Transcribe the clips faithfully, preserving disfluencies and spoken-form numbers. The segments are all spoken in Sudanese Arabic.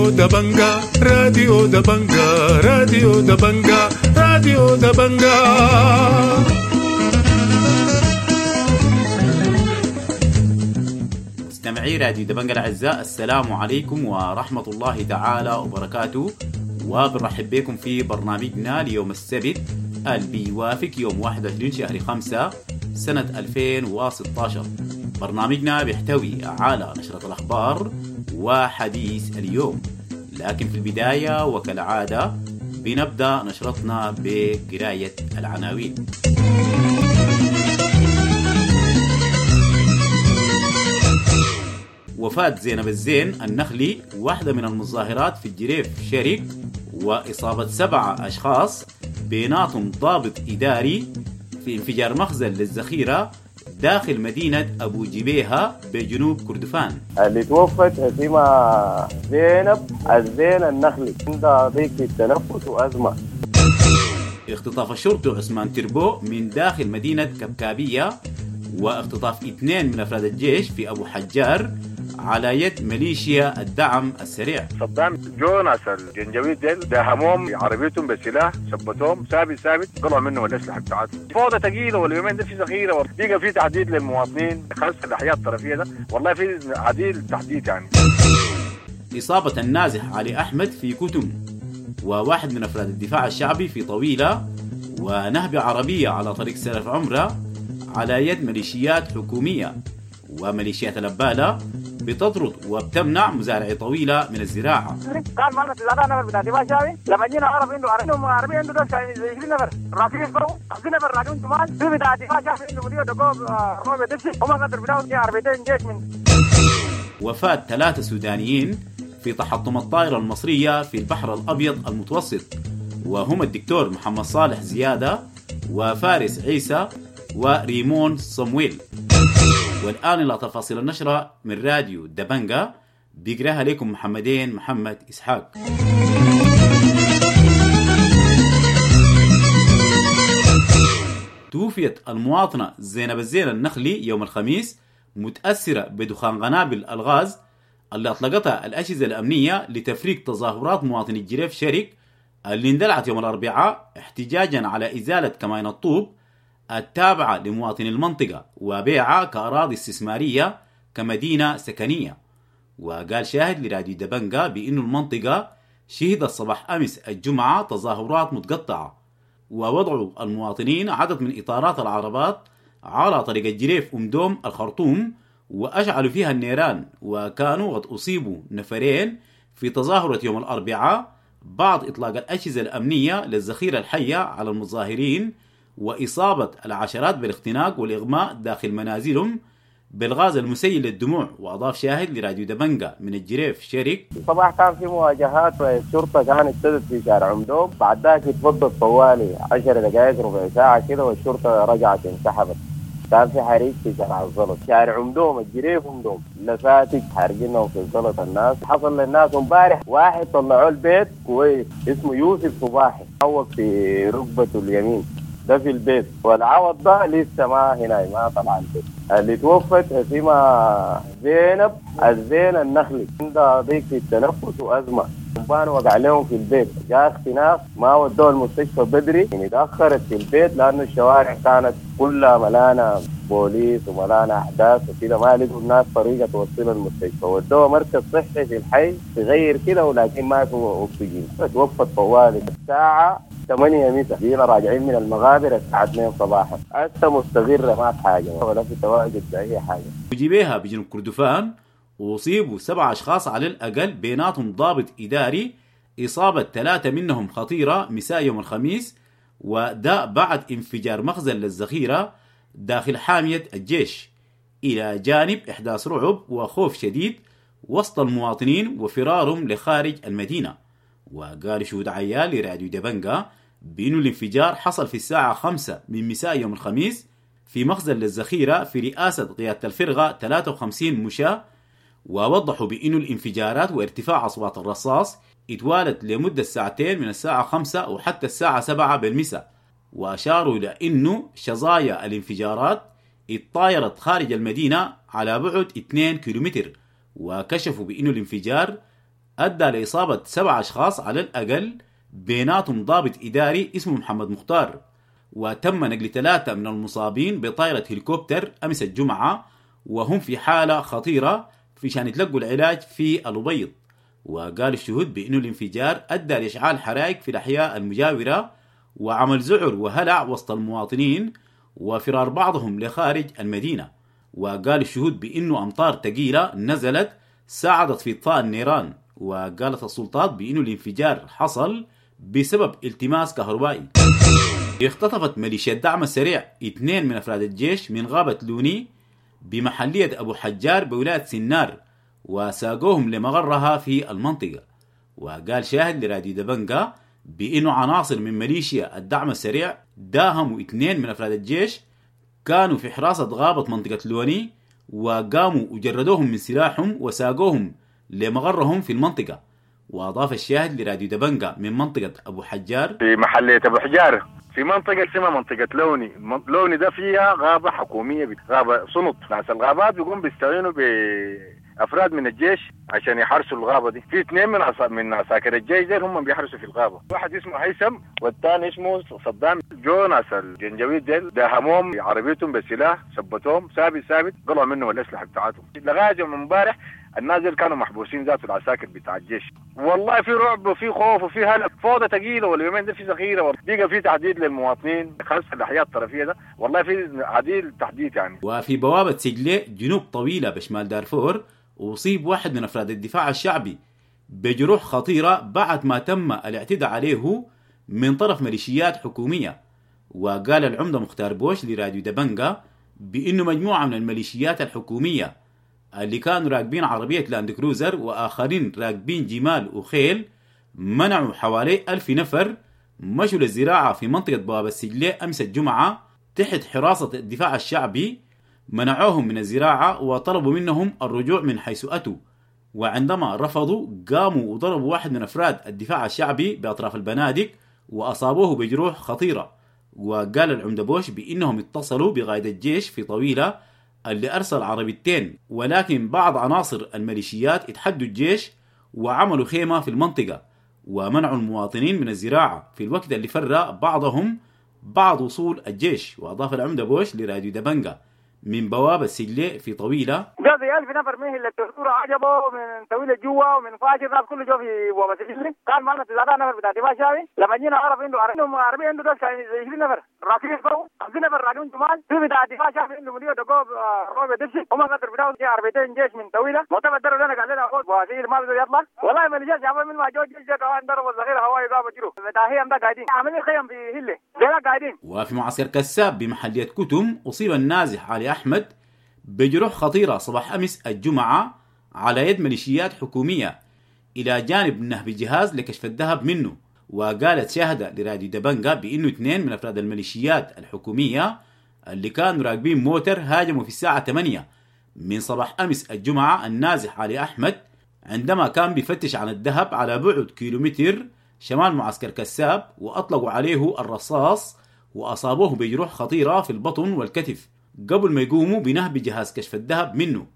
راديو دبنجا، راديو دبنجا، راديو دبنجا، راديو دبنجا. مستمعي راديو دبنجا الأعزاء، السلام عليكم ورحمة الله تعالى وبركاته، وبنرحب بكم في برنامجنا ليوم السبت اللي بيوافق يوم واحد وعشرين شهر خمسة سنة ألفين وستاشر. برنامجنا بيحتوي على نشرة الأخبار وحديث اليوم، لكن في البداية وكالعادة بنبدأ نشرتنا بقراية العناوين. وفاة زينب الزين النخلي واحدة من المظاهرات في الجريف شرق، وإصابة سبعة أشخاص بيناتهم ضابط إداري في انفجار مخزن للذخيرة داخل مدينة أبو جبيهة بجنوب كردفان. اللي توفت اسمها زينب الزين النخلي، عندها ضيق في التنفس وأزمة. اختطاف الشرطي عثمان تربو من داخل مدينة كبكابية، واختطاف اثنين من أفراد الجيش في أبو حجار على يد ميليشيا الدعم السريع. صدام جو ناس الجنجويد ديل داهموهم عربيتهم بسلاح، ثبتوهم ثابت ثابت، طلعوا منهم الاسلحه بتاعتهم. فوضى ثقيله، واليومين ده في ذخيره، بقى في تحديد للمواطنين خاصه الاحياء الطرفيه ده، والله في عديل تحديد يعني. اصابه النازح علي احمد في كتم، وواحد من افراد الدفاع الشعبي في طويله، ونهب عربيه على طريق سلف عمره على يد ميليشيات حكوميه، وميليشيات الأبالة بتطرد وبتمنع مزارعي طويلة من الزراعة. كان معنا ثلاثة نفر بتاع دفاع شعبي، لما جينا عرف انه انه عربية عنده عشرين نفر راكبين فوق، خمسين نفر راكبين شمال، في بتاع دفاع شعبي عنده مدير دقوه روبي دبسي، هم قدر بتاعهم عربيتين جيش من. وفاة ثلاثة سودانيين في تحطم الطائرة المصرية في البحر الأبيض المتوسط، وهم الدكتور محمد صالح زيادة وفارس عيسى وريمون صمويل. والآن إلى تفاصيل النشرة من راديو دبنجا، بيقراها لكم محمدين محمد إسحاق. توفيت المواطنة زينب الزين النخلي يوم الخميس متأثرة بدخان قنابل الغاز اللي أطلقتها الأجهزة الأمنية لتفريق تظاهرات مواطني الجريف شرق اللي اندلعت يوم الأربعاء احتجاجا على إزالة كمائن الطوب التابعة لمواطني المنطقة وبيعها كأراضي استثمارية كمدينة سكنية. وقال شاهد لراديو دبنجا بأن المنطقة شهدت صباح أمس الجمعة تظاهرات متقطعة، ووضعوا المواطنين عدد من إطارات العربات على طريق الجريف أمدوم الخرطوم وأشعلوا فيها النيران، وكانوا قد أصيبوا نفرين في تظاهرة يوم الأربعاء بعد إطلاق الأجهزة الأمنية للذخيرة الحية على المظاهرين وإصابة العشرات بالاختناق والإغماء داخل منازلهم بالغاز المسيل للدموع. وأضاف شاهد لراديو دبنجا من الجريف شرق: الصباح كان في مواجهات والشرطة كانت ابتدت في شارع عمدوم، بعد ذاك اتفضت طوالي عشر دقائق ربع ساعة كده والشرطة رجعت انسحبت. كان في حريق في شارع الزلط، شارع عمدوم الجريف عمدوم، لفاتك حارقينهم في الزلط الناس. حصل للناس امبارح واحد طلعوه البيت كويس اسمه يوسف صباحي، عوق في ركبته اليمين ده في البيت، والعوض ده لسه ما هنا ما طلع البيت. اللي توفت اسمها زينب الزين النخلي، عندها ضيق في التنفس وأزمة، قنبان وقع لهم في البيت، جاء اختناق ما ودوه المستشفى بدري، يعني تأخرت في البيت لأنه الشوارع كانت كلها ملانة بوليس وملانة أحداث وكده، ما لقوا الناس طريقة توصل المستشفى، ودوه مركز صحي في الحي صغير كده ولكن ما في أكسجين، توفت طوالي الساعة ثمانية مساء، جينا راجعين من المغابر الساعة اثنين صباحا، هسه مستغرة ما في حاجة ولا في تواجد بأي حاجة. وجبيها بجنوب كردفان وأصيبوا سبع أشخاص على الأقل بيناتهم ضابط إداري، إصابة ثلاثة منهم خطيرة مساء يوم الخميس، وده بعد انفجار مخزن للذخيرة داخل حامية الجيش، إلى جانب إحداث رعب وخوف شديد وسط المواطنين وفرارهم لخارج المدينة. وقال شهود عيال لراديو دبنجا بأنه الانفجار حصل في الساعة خمسة من مساء يوم الخميس في مخزن للذخيرة في رئاسة قيادة الفرقة ثلاثة وخمسين مشاة، ووضحوا بأنه الانفجارات وارتفاع أصوات الرصاص اتوالت لمدة ساعتين من الساعة خمسة وحتى الساعة سبعة بالمساء، وأشاروا إلى أنه شظايا الانفجارات اتطايرت خارج المدينة على بعد اثنين كيلومتر، وكشفوا بأنه الانفجار أدى لإصابة سبع أشخاص على الأقل، بيناتهم ضابط إداري اسمه محمد مختار. وتم نقل ثلاثة من المصابين بطائرة هليكوبتر أمس الجمعة، وهم في حالة خطيرة في شان يتلقوا العلاج في الأبيض. وقال الشهود بأنه الانفجار أدى لإشعال حرائق في الأحياء المجاورة وعمل ذعر وهلع وسط المواطنين وفرار بعضهم لخارج المدينة. وقال الشهود بأنه أمطار ثقيلة نزلت ساعدت في إطفاء النيران. وقالت السلطات بأنه الانفجار حصل بسبب التماس كهربائي. اختطفت ميليشيا الدعم السريع اثنين من أفراد الجيش من غابة لوني بمحلية أبو حجار بولاية سنار وساقوهم لمغرها في المنطقة. وقال شاهد لراديو دبنجا بأنه عناصر من ميليشيا الدعم السريع داهموا اثنين من أفراد الجيش كانوا في حراسة غابة منطقة لوني، وقاموا وجردوهم من سلاحهم وساقوهم لمغرهم في المنطقة. وأضاف الشاهد لراديو دبنجا من منطقة أبو حجار: في محلية أبو حجار في منطقة اسمها منطقة لوني، لوني ده فيها غابة حكومية، غابة صنط. ناس الغابات بيقوم بيستعينوا بأفراد من الجيش عشان يحرسوا الغابة دي. في اثنين من عصا من عساكر الجيش دي هم بيحرسوا في الغابة، واحد اسمه هيثم والثاني اسمه صدام. جو ناس الجنجويد ديل داهموهم عربيتهم بالسلاح، ثبتوهم ثابت ثابت، قلعوا منهم الأسلحة بتاعتهم. لغاية يوم امبارح الناس ديل كانوا محبوسين ذات العساكر بتاع الجيش. والله في رعب وفي خوف وفي هلع، فوضى ثقيلة، واليومين دي في ذخيرة، بقى في تحديد للمواطنين خاصة الاحياء الطرفيه ده، والله في عديل تحديد يعني. وفي بوابه سجله جنوب طويلة بشمال دارفور اصيب واحد من افراد الدفاع الشعبي بجروح خطيرة بعد ما تم الاعتداء عليه من طرف ميليشيات حكومية. وقال العمدة مختار بوش لراديو دبنجا بانه مجموعة من الميليشيات الحكومية اللي كانوا راكبين عربية لاند كروزر وآخرين راكبين جمال وخيل منعوا حوالي ألف نفر مشوا للزراعة في منطقة بوابة السجلة أمس الجمعة تحت حراسة الدفاع الشعبي، منعوهم من الزراعة وطلبوا منهم الرجوع من حيث أتوا. وعندما رفضوا قاموا وضربوا واحد من أفراد الدفاع الشعبي بأطراف البنادق وأصابوه بجروح خطيرة. وقال العمدة بوش بأنهم اتصلوا بقائد الجيش في طويلة اللي أرسل عربيتين، ولكن بعض عناصر الميليشيات اتحدوا الجيش وعملوا خيمة في المنطقة ومنعوا المواطنين من الزراعة في الوقت اللي فر بعضهم بعد وصول الجيش. وأضاف العمدة بوش لراديو دبنجا من بوابة سجلة في طويلة: جاء في ألف نفر من اللي التسورة عجبه من طويلة جوا ومن فاجر ناس كله جو في بوابة سجلة. كان معنا تسعة نفر بتاع دفاع شعبي. لما جينا عرف عنده عنده عربية عنده دس عشرين نفر راكبين فوق، خمسين نفر راكبين جمال. في بتاع دفاع شعبي عنده مدير دقوب روبي دبسي هم قدر بتاعه جاء عربيتين جيش من طويلة معتمد درب لنا قال لنا خذ بواسير ما بده يطلع. والله ما الجيش عمل من ما جو جيش كمان ضربوا الذخيرة هواي قاموا جروا بتاع هيم ده قاعدين عاملين خيم في هله ده قاعدين. وفي معسكر كساب بمحلية كتم أصيب النازح علي أحمد بجروح خطيرة صباح أمس الجمعة على يد ميليشيات حكومية إلى جانب نهب جهاز لكشف الذهب منه. وقالت شاهدة لراديو دبنجا بأنه اثنين من أفراد الميليشيات الحكومية اللي كانوا راكبين موتر هاجموا في الساعة ثمانية من صباح أمس الجمعة النازح علي أحمد عندما كان بيفتش عن الذهب على بعد كيلومتر شمال معسكر كساب، وأطلقوا عليه الرصاص وأصابوه بجروح خطيرة في البطن والكتف قبل ما يقوموا بنهب جهاز كشف الذهب منه.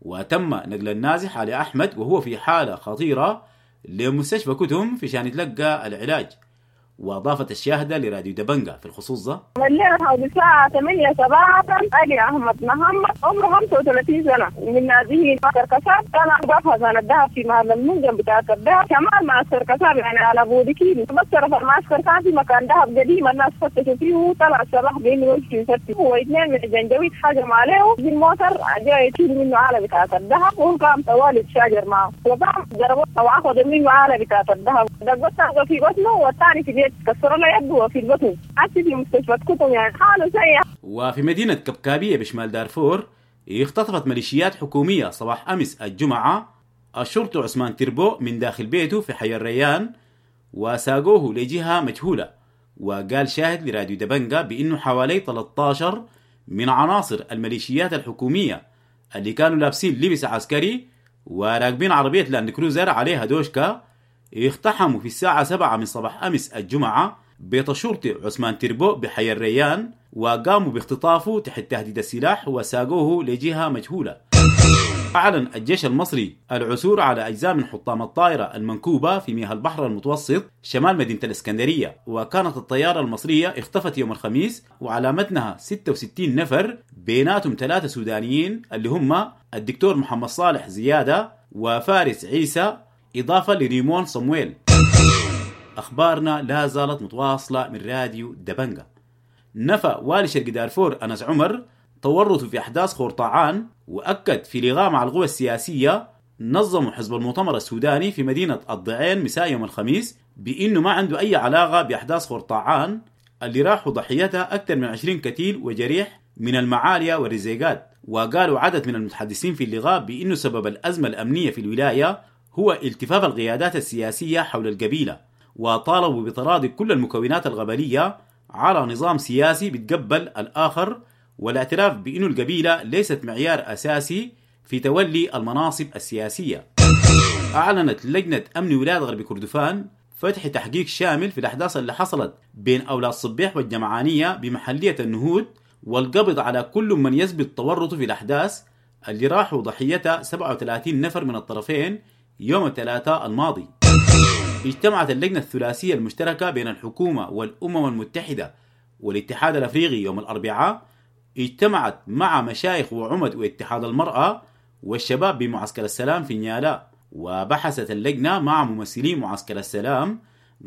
وتم نقل النازح علي أحمد وهو في حالة خطيرة لمستشفى كتم في شان يتلقى العلاج. وأضافت الشاهدة لراديو دبنجا في الخصوص ده: الليلة حوالي الساعة ثمانية صباحا علي أحمد محمد عمره خمسة وثلاثين سنة من نازحين معسكر كساب، كان بفحص عن الذهب في محل المنجم بتاع الذهب شمال معسكر كساب يعني على بعد كيلو. بس طرف المعسكر كان في مكان ذهب قديم الناس فتشوا فيه وطلع الصباح بينه وجهه يفتش، واثنين من الجنجويد حجموا عليه بالموتر جاي يشيل منه آلة بتاعة الذهب وهو قام طوالي يتشاجر معه وقام ضربوه وأخذ منه آلة بتاعة الذهب، دقته في بطنه والثاني في بيت كسروا له يده في البطن حتى في مستشفى كتم يعني حاله سيء. وفي مدينة كبكابية بشمال دارفور اختطفت ميليشيات حكومية صباح أمس الجمعة الشرطي عثمان تربو من داخل بيته في حي الريان وساقوه لجهة مجهولة. وقال شاهد لراديو دبنجا بأنه حوالي ثلاثة عشر من عناصر الميليشيات الحكومية اللي كانوا لابسين لبس عسكري وراكبين عربية لاند كروزر عليها دوشكا اقتحموا في الساعة سبعة من صباح أمس الجمعة بيت الشرطي عثمان تربو بحي الريان وقاموا باختطافه تحت تهديد السلاح وساقوه لجهة مجهولة. أعلن الجيش المصري العثور على أجزاء من حطام الطائرة المنكوبة في مياه البحر المتوسط شمال مدينة الإسكندرية، وكانت الطيارة المصرية اختفت يوم الخميس وعلى متنها ستة وستين نفر، بيناتهم ثلاثة سودانيين اللي هم الدكتور محمد صالح زيادة وفارس عيسى، إضافة لريمون صمويل. أخبارنا لا زالت متواصلة من راديو دبنجة. نفى والي شرق دارفور أنس عمر تورطه في أحداث خورطعان، وأكد في لقاء مع القوى السياسية نظموا حزب المؤتمر السوداني في مدينة الضعين مساء يوم الخميس بأنه ما عنده أي علاقة بأحداث خورطعان اللي راحوا ضحيتها أكثر من عشرين قتيل وجريح من المعاليا والرزيقات. وقالوا عدد من المتحدثين في اللقاء بأنه سبب الأزمة الأمنية في الولاية هو التفاف القيادات السياسية حول القبيلة، وطالبوا بتراضي كل المكونات القبلية على نظام سياسي بيتقبل الآخر، والاعتراف بأن القبيلة ليست معيار أساسي في تولي المناصب السياسية. أعلنت لجنة أمن ولاية غرب كردفان فتح تحقيق شامل في الأحداث اللي حصلت بين أولاد صبيح والجمعانية بمحلية النهود، والقبض على كل من يثبت تورطه في الأحداث اللي راحوا ضحيتها سبعة وثلاثين نفر من الطرفين يوم الثلاثاء الماضي. اجتمعت اللجنة الثلاثية المشتركة بين الحكومة والأمم المتحدة والاتحاد الأفريقي يوم الأربعاء، اجتمعت مع مشايخ وعمد واتحاد المرأة والشباب بمعسكر السلام في نيالا، وبحثت اللجنة مع ممثلي معسكر السلام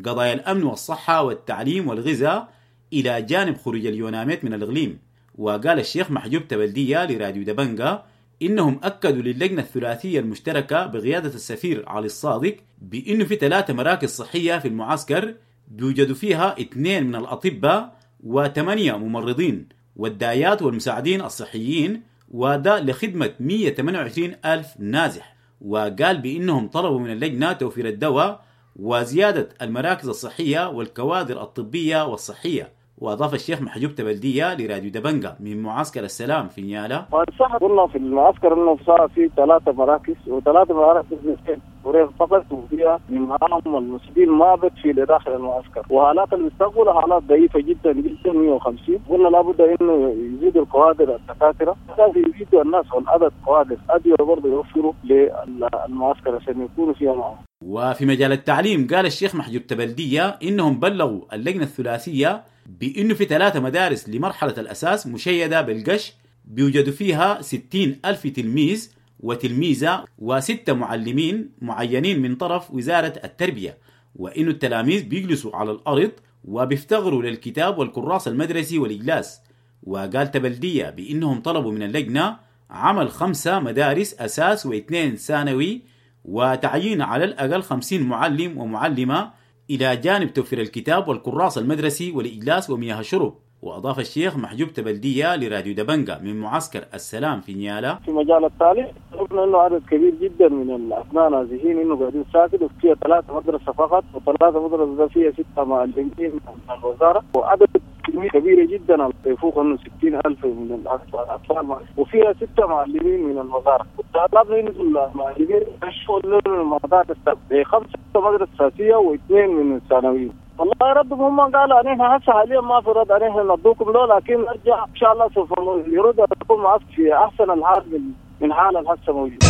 قضايا الأمن والصحة والتعليم والغذاء إلى جانب خروج اليوناميت من الإقليم. وقال الشيخ محجوب تبلدية لراديو دبنجة إنهم أكدوا للجنة الثلاثية المشتركة بقيادة السفير علي الصادق بأنه في ثلاثة مراكز صحية في المعسكر بيوجدوا فيها اثنين من الأطباء وثمانية ممرضين والدايات والمساعدين الصحيين، وده لخدمة مئة وثمانية وعشرين ألف نازح. وقال بأنهم طلبوا من اللجنة توفير الدواء وزيادة المراكز الصحية والكوادر الطبية والصحية. وأضاف الشيخ محجوب تبلدية لراديو دبنجة من معسكر السلام في نيالا: صح قلنا في المعسكر انه صار في ثلاثة مراكز، وثلاثة مراكز فقط، وفيها معاهم المسجين ما بتفي لداخل المعسكر، وحالات المستقبل حالات ضعيفة جدا جدا مئة وخمسين. قلنا لابد انه يزيدوا الكوادر الدكاترة، لازم يزيدوا الناس والعدد كوادر ادوية برضه يوفروا للمعسكر عشان يكونوا فيها معهم. وفي مجال التعليم قال الشيخ محجوب تبلدية انهم بلغوا اللجنة الثلاثية بأنه في ثلاثة مدارس لمرحلة الأساس مشيدة بالقش بيوجدوا فيها ستين ألف تلميذ وتلميذة وستة معلمين معينين من طرف وزارة التربية، وإنه التلاميذ بيجلسوا على الأرض وبيفتقروا للكتاب والكراس المدرسي والإجلاس. وقال تبلدية بأنهم طلبوا من اللجنة عمل خمسة مدارس أساس واثنين ثانوي وتعيين على الأقل خمسين معلم ومعلمة إلى جانب توفير الكتاب والكراس المدرسي والإجلاس ومياه الشرب. وأضاف الشيخ محجوب تبلدية لراديو دبنجة من معسكر السلام في نيالا: في مجال التعليم شفنا إنه عدد كبير جدا من الأبناء نازحين إنه قاعدين ساكت، وفيها ثلاثة مدرسة فقط، وثلاثة مدرسة فيها ستة معلمين من الوزارة، وعدد كمية كبيرة جدا يفوق إنه ستين ألف من الأطفال، وفيها ستة معلمين من الوزارة. وطلبنا إنه المعلمين يشتغلوا المدارس خمسة مدرسة أساسية واثنين من الثانويين. والله ردهم هم قالوا علينا هسه حاليا ما في رد علينا ندوكم له، لكن نرجع ان شاء الله سوف يرد لكم في احسن الحال من من حال الهسه موجود.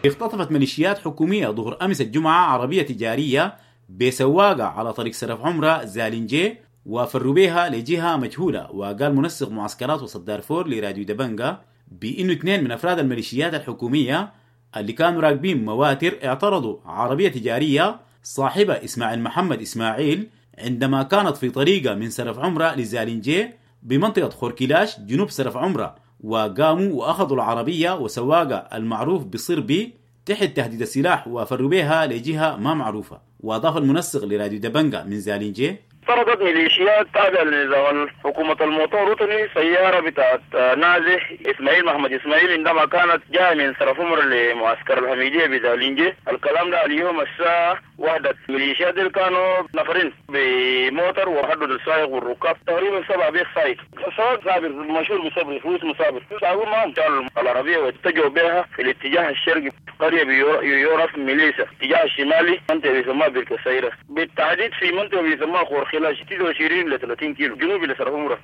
اختطفت ميليشيات حكوميه ظهر امس الجمعه عربيه تجاريه بسواقه على طريق سرف عمره زالنجي وفروا بها لجهه مجهوله. وقال منسق معسكرات وسط دارفور لراديو دبنجة بانه اثنين من افراد الميليشيات الحكوميه اللي كانوا راكبين مواتر اعترضوا عربيه تجاريه صاحبة إسماعيل محمد إسماعيل عندما كانت في طريقة من سرف عمرة لزالنجي بمنطقة خوركيلاش جنوب سرف عمرة، وقاموا وأخذوا العربية وسواقة المعروف بصربي تحت تهديد السلاح وفروا بها لجهة ما معروفة. وأضاف المنسق لراديو دبنجة من زالنجي: طردت ميليشيات تابعة لنظام حكومة المؤتمر الوطني سيارة بتاعت نازح إسماعيل محمد إسماعيل عندما كانت جاية من سرف عمر لمعسكر الحميدية بزالنجي. الكلام ده اليوم الساعة واحدة. الميليشيات دي كانوا نفرين بموتر وحدد السائق والركاب تقريبا سبعة بيت سايق. السواق صابر مشهور بصبري هو اسمه صابر. ساقوا معهم شالوا العربية واتجهوا بها في الاتجاه الشرقي قرية بيعرف ميليسا، الاتجاه الشمالي منطقة بيسموها بالكسيرة، بالتحديد في منطقة بيسموها خورخلاش تسعة وعشرين إلى ثلاثين كيلو جنوب لسرف عمرة.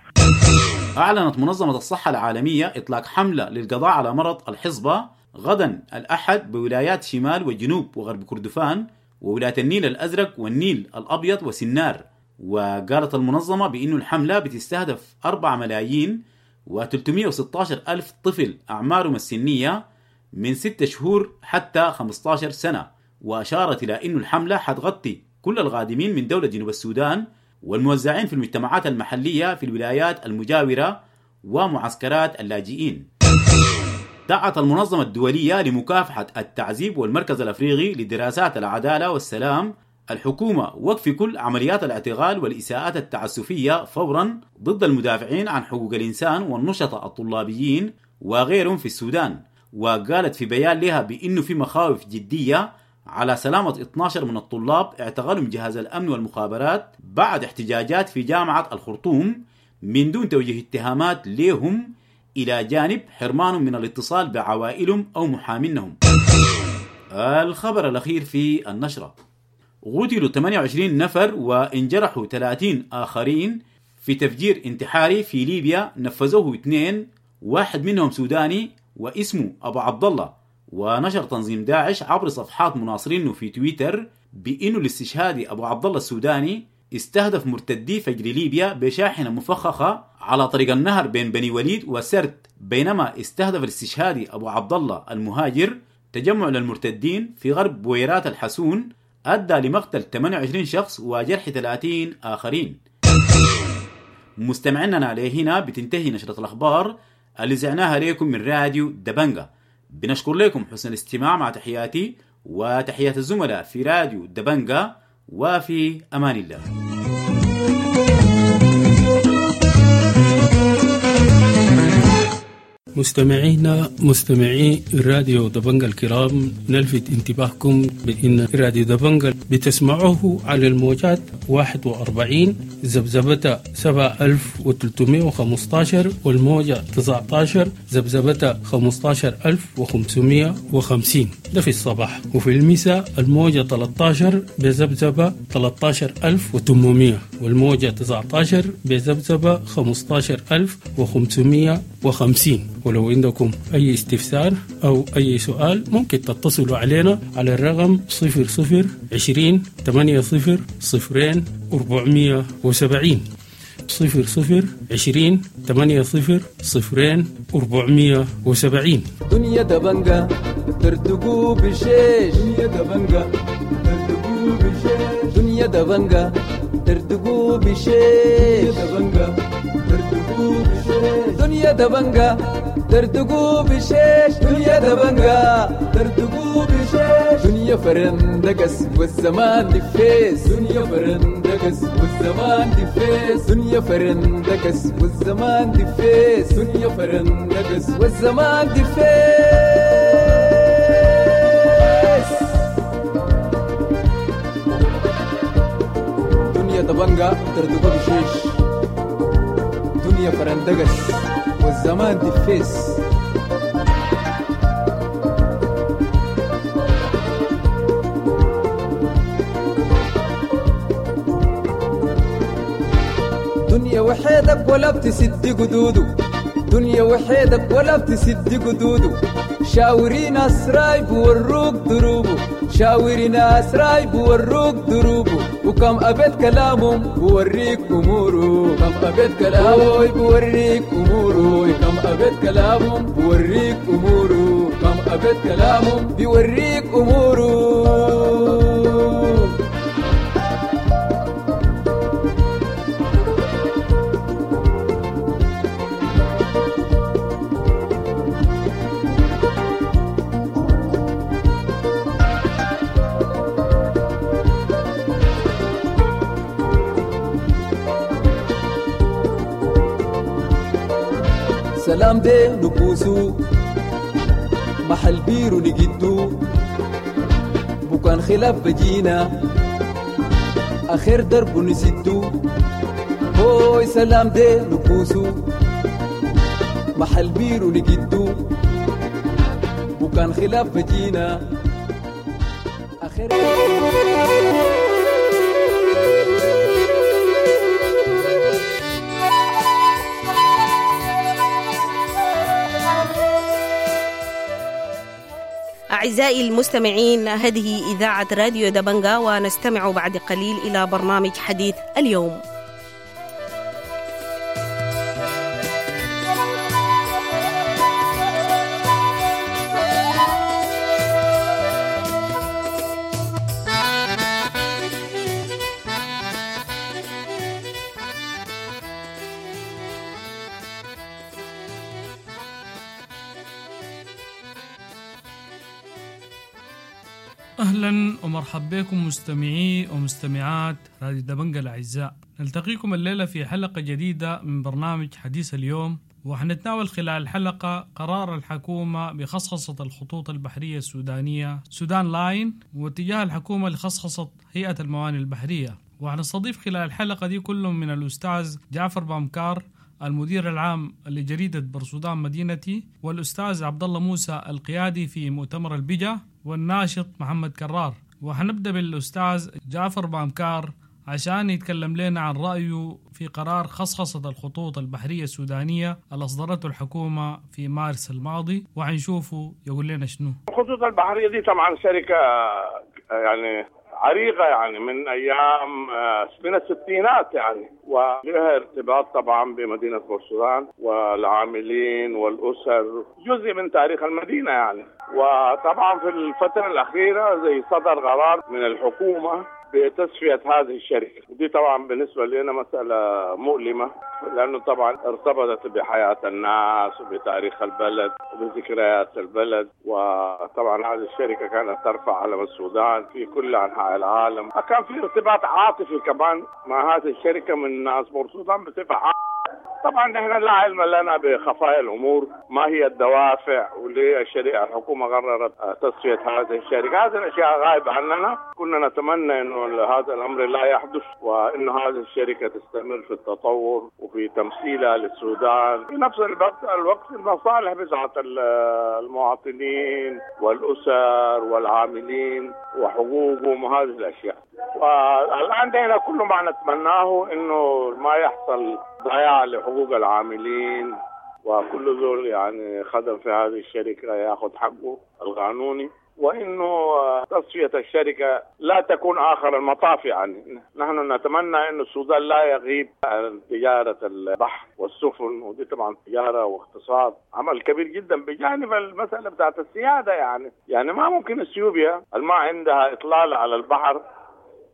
أعلنت منظمة الصحة العالمية إطلاق حملة للقضاء على مرض الحصبة غدا الأحد بولايات شمال وجنوب وغرب كردفان وولاية النيل الأزرق والنيل الأبيض وسنار. وقالت المنظمة بأن الحملة بتستهدف أربعة ملايين وثلاثمئة وستة عشر ألف طفل أعمارهم السنية من ستة شهور حتى خمسة عشر سنة. وأشارت إلى أن الحملة حتغطي كل الغادمين من دولة جنوب السودان والموزعين في المجتمعات المحلية في الولايات المجاورة ومعسكرات اللاجئين. دعت المنظمة الدولية لمكافحة التعذيب والمركز الأفريقي لدراسات العدالة والسلام الحكومة وقف كل عمليات الاعتقال والإساءات التعسفية فورا ضد المدافعين عن حقوق الإنسان والنشطاء الطلابيين وغيرهم في السودان. وقالت في بيان لها بأنه في مخاوف جدية على سلامة اثني عشر من الطلاب اعتقلهم جهاز الأمن والمخابرات بعد احتجاجات في جامعة الخرطوم من دون توجيه اتهامات لهم، إلى جانب حرمانهم من الاتصال بعوائلهم أو محامينهم. الخبر الأخير في النشرة: قتلوا ثمانية وعشرين نفر وانجرحوا ثلاثين آخرين في تفجير انتحاري في ليبيا نفذوه اثنين، واحد منهم سوداني واسمه أبو عبد الله. ونشر تنظيم داعش عبر صفحات مناصرينه في تويتر بأنه الاستشهادي أبو عبد الله السوداني استهدف مرتدي فجر ليبيا بشاحنة مفخخة على طريق النهر بين بني وليد وسرت، بينما استهدف الاستشهادي أبو عبد الله المهاجر تجمع للمرتدين في غرب بويرات الحسون أدى لمقتل ثمانية وعشرين شخص وجرح ثلاثين آخرين. مستمعينا لهنا بتنتهي نشرة الأخبار اللي زعناها لكم من راديو دبنجا. بنشكر لكم حسن الاستماع، مع تحياتي وتحيات الزملاء في راديو دبنجا، وفي أمان الله. مستمعينا مستمعي راديو دبنجا الكرام، نلفت انتباهكم بأن راديو دبنجا بتسمعوه على الموجات واحد وأربعين ذبذبة سبعة ألف وثلاثمئة وخمسة عشر والموجة تسعة عشر ذبذبة خمسة عشر ألف وخمسمئة وخمسين، ده في الصباح، وفي المساء الموجة ثلاثة عشر بذبذبة ثلاثة عشر ألف وثمانمئة والموجة تسعة عشر بذبذبة خمسة عشر ألف وخمسمئة وخمسين. ولو عندكم أي استفسار أو أي سؤال ممكن تتصلوا علينا على الرقم صفر صفر عشرين ثمانية صفر صفرين أربعمية وسبعين، صفر صفر عشرين ثمانية صفر صفرين أربعمية وسبعين. دنيا دبنجا ترتقو بشيش، دنيا دبنجا ترتقو بشيش، دنيا دبنجا ترتقو بشيش، دبنجا ترتقو بشيش، دنيا دبنجا ترتقو بشيش، دنيا دبنجا ترتقو بشيش، دنيا فرندقس والزمان دفيس، دنيا فرندقس والزمان دفيس، دنيا فرندقس والزمان دفيس، دنيا فرندقس والزمان دفيس. دنيا دبنجا ترتقو بشيش، دنيا فرندقس والزمان دفيس. دنيا وحيدك ولا بتسد قدوده، دنيا وحيدك ولا بتسد قدوده، شاوري ناس رايب وروك دروبه، شاوري ناس رايب وروك دروبه، وكم أبيت كلامهم بوريك أموره، كم أبيت كلامه بوريك أموره، كم أبيت كلامهم بوريك أموره، كم أبيت كلامهم بيوريك أموره. سلام دي نبوسو محل بيرو نجدو، بكان خلاف بجينا آخر درب نسدو، هوي سلام دي نبوسو محل بيرو نجدو، بكان خلاف بجينا آخر. أعزائي المستمعين، هذه إذاعة راديو دبنجا، ونستمع بعد قليل إلى برنامج حديث اليوم. أهلا ومرحبا بكم مستمعي ومستمعات راديو دبنجا الأعزاء. نلتقيكم الليلة في حلقة جديدة من برنامج حديث اليوم، وحنتناول خلال الحلقة قرار الحكومة بخصخصة الخطوط البحرية السودانية سودان لاين، واتجاه الحكومة لخصخصة هيئة الموانئ البحرية. وحنستضيف خلال الحلقة دي كل من الأستاذ جعفر بامكار المدير العام لجريدة برسودان مدينتي، والأستاذ عبد الله موسى القيادي في مؤتمر البجا، والناشط محمد كرار. وحنبدأ بالأستاذ جعفر بامكار عشان يتكلم لنا عن رأيه في قرار خصخصة الخطوط البحرية السودانية اللي أصدرته الحكومة في مارس الماضي، وحنشوفه يقول لنا شنو. الخطوط البحرية دي طبعا شركة يعني عريقة، يعني من أيام من الستينات يعني، ولها ارتباط طبعا بمدينة بورسودان والعاملين والأسر، جزء من تاريخ المدينة يعني. وطبعا في الفترة الأخيرة زي صدر قرار من الحكومة بتصفية هذه الشركة، ودي طبعا بالنسبة لنا مسألة مؤلمة، لأنه طبعا ارتبطت بحياة الناس وبتاريخ البلد وبذكريات البلد. وطبعا هذه الشركة كانت ترفع علم السودان في كل أنحاء العالم، كان في ارتباط عاطفي كمان مع هذه الشركة من ناس بورسودان بصفة عامة. طبعا نحن لا علم لنا بخفايا الامور، ما هي الدوافع وليه الشريعة الحكومة قررت تصفية هذه الشركة، هذه الاشياء غايبة عننا. كنا نتمنى انه هذا الامر لا يحدث، وانه هذه الشركة تستمر في التطور وفي تمثيلها للسودان، في نفس الوقت الوقت المصالح بتاعت المواطنين والاسر والعاملين وحقوقهم وهذه الاشياء. والان نحن كل ما نتمناه انه ما يحصل ضياع لحقوق العاملين، وكل ذول يعني خدم في هذه الشركة ياخذ حقه القانوني، وإنه تصفية الشركة لا تكون آخر المطاف. يعني نحن نتمنى أن السودان لا يغيب عن تجارة البحر والسفن، ودي طبعا تجارة واقتصاد عمل كبير جدا بجانب المسألة بتاعت السيادة. يعني يعني ما ممكن اثيوبيا ما عندها إطلالة على البحر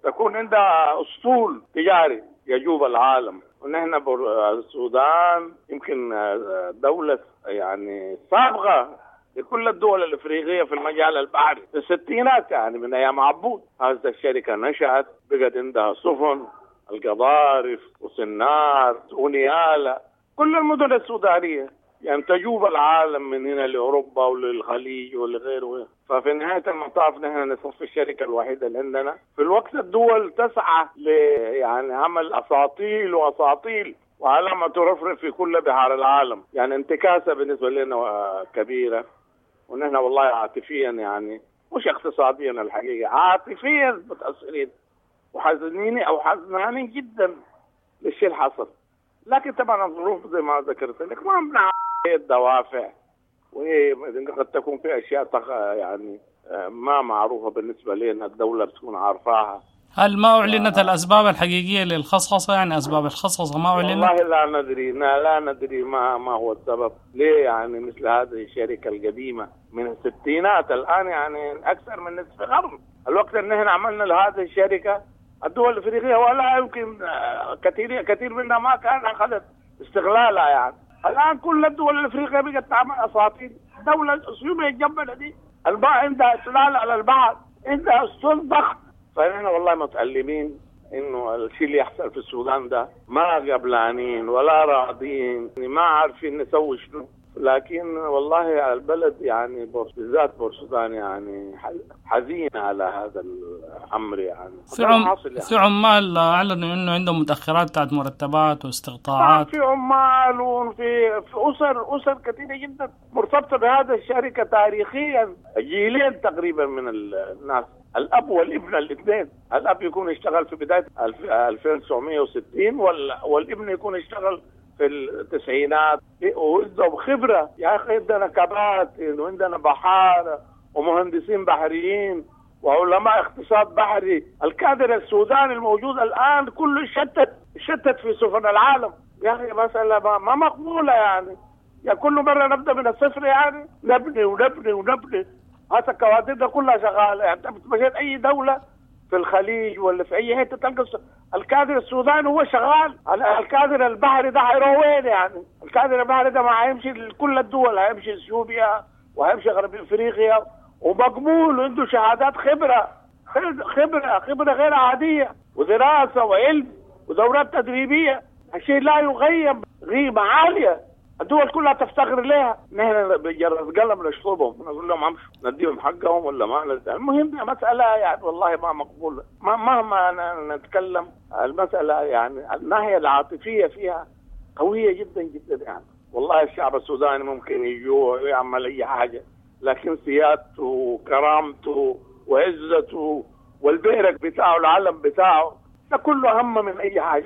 تكون عندها أسطول تجاري يجوب العالم، ونحن السودان يمكن دولة يعني سابقة لكل الدول الافريقية في المجال البحري في الستينات، يعني من ايام عبود هذه الشركة نشأت، بقت عندها سفن القضارف وسنار ونيالا، كل المدن السودانية يعني تجوب العالم من هنا لاوروبا وللخليج ولغيره. ففي نهاية المطاف نحن نصف الشركة الوحيدة اللي عندنا في الوقت الدول تسعى ل يعني عمل اساطيل واساطيل وعلامة ترفرف في كل بحار العالم، يعني انتكاسه بالنسبة لنا كبيرة. ونحن والله عاطفيا يعني مش اقتصاديا الحقيقة، عاطفيا متاثرين وحزنين او حزنانين جدا للشيء اللي حصل. لكن طبعا الظروف زي ما ذكرت لك ما بنعرف ايه الدوافع، وايه قد تكون في اشياء يعني ما معروفة بالنسبة لنا، الدولة بتكون عارفاها. هل ما أعلنت الأسباب الحقيقية للخصخصة؟ يعني أسباب الخصخصة ما أعلنت؟ والله لا ندري، لا ندري ما ما هو السبب، ليه يعني مثل هذه الشركة القديمة من الستينات الآن يعني أكثر من نصف قرن، الوقت اللي نحن عملنا لهذه الشركة الدول الأفريقية ولا يمكن كثير كثير منها ما كان أخذت استغلالها. يعني الآن كل الدول الأفريقية بقت تعمل أساطيل، دولة اثيوبيا الجنبنا دي الباع عندها إطلال على البحر، عندها أسطول ضخم. فنحن والله متألمين انه الشيء اللي يحصل في السودان ده، ما قبلانين ولا راضين، ما عارفين نسوي شنو. لكن والله البلد يعني بالذات بورسودان يعني حزين على هذا الامر. يعني في عم يعني. في عمال اعلنوا انه عندهم متاخرات بتاعت مرتبات واستقطاعات، في عمال وفي في اسر اسر كثيرة جدا مرتبطة بهذا الشركة تاريخيا، جيلين تقريبا من الناس، الاب والابن الاثنين، الاب يكون اشتغل في بداية ألفين وتسعمية وستين والابن يكون اشتغل في التسعينات، وعندهم خبره يا اخي، عندنا كباتن وعندنا بحارة ومهندسين بحريين وعلماء اقتصاد بحري. الكادر السوداني الموجود الآن كله شتت شتت في سفن العالم يا أخي. مسألة ما مقبولة يعني، يا كل مرة نبدأ من الصفر يعني، نبني ونبني ونبني. هذا الكوادر ده كلها شغالة يعني. أنت مشيت أي دولة في الخليج ولا في أي حتة تلقى الكادر السوداني هو شغال. الكادر البحري ده هيروح وين يعني؟ الكادر البحري ده ما هيمشي لكل الدول، هيمشي اثيوبيا وهيمشي غرب افريقيا، ومقبول وعنده شهادات خبرة خبرة خبرة غير عادية ودراسة وعلم ودورات تدريبية. الشيء لا يغيب قيمة عالية، الدول كلها تفتخر لها. نحن بجرس قلم نشطبهم نقول لهم امشوا نديهم حقهم ولا ما نديهم. المهم مسألة يعني والله ما مقبولة، ما مهما نتكلم المسألة يعني الناحية العاطفية فيها قوية جدا جدا يعني. والله الشعب السوداني ممكن يجوع ويعمل أي حاجة، لكن سيادته وكرامته وعزته والبيرك بتاعه العلم بتاعه ده كله أهم من أي حاجة.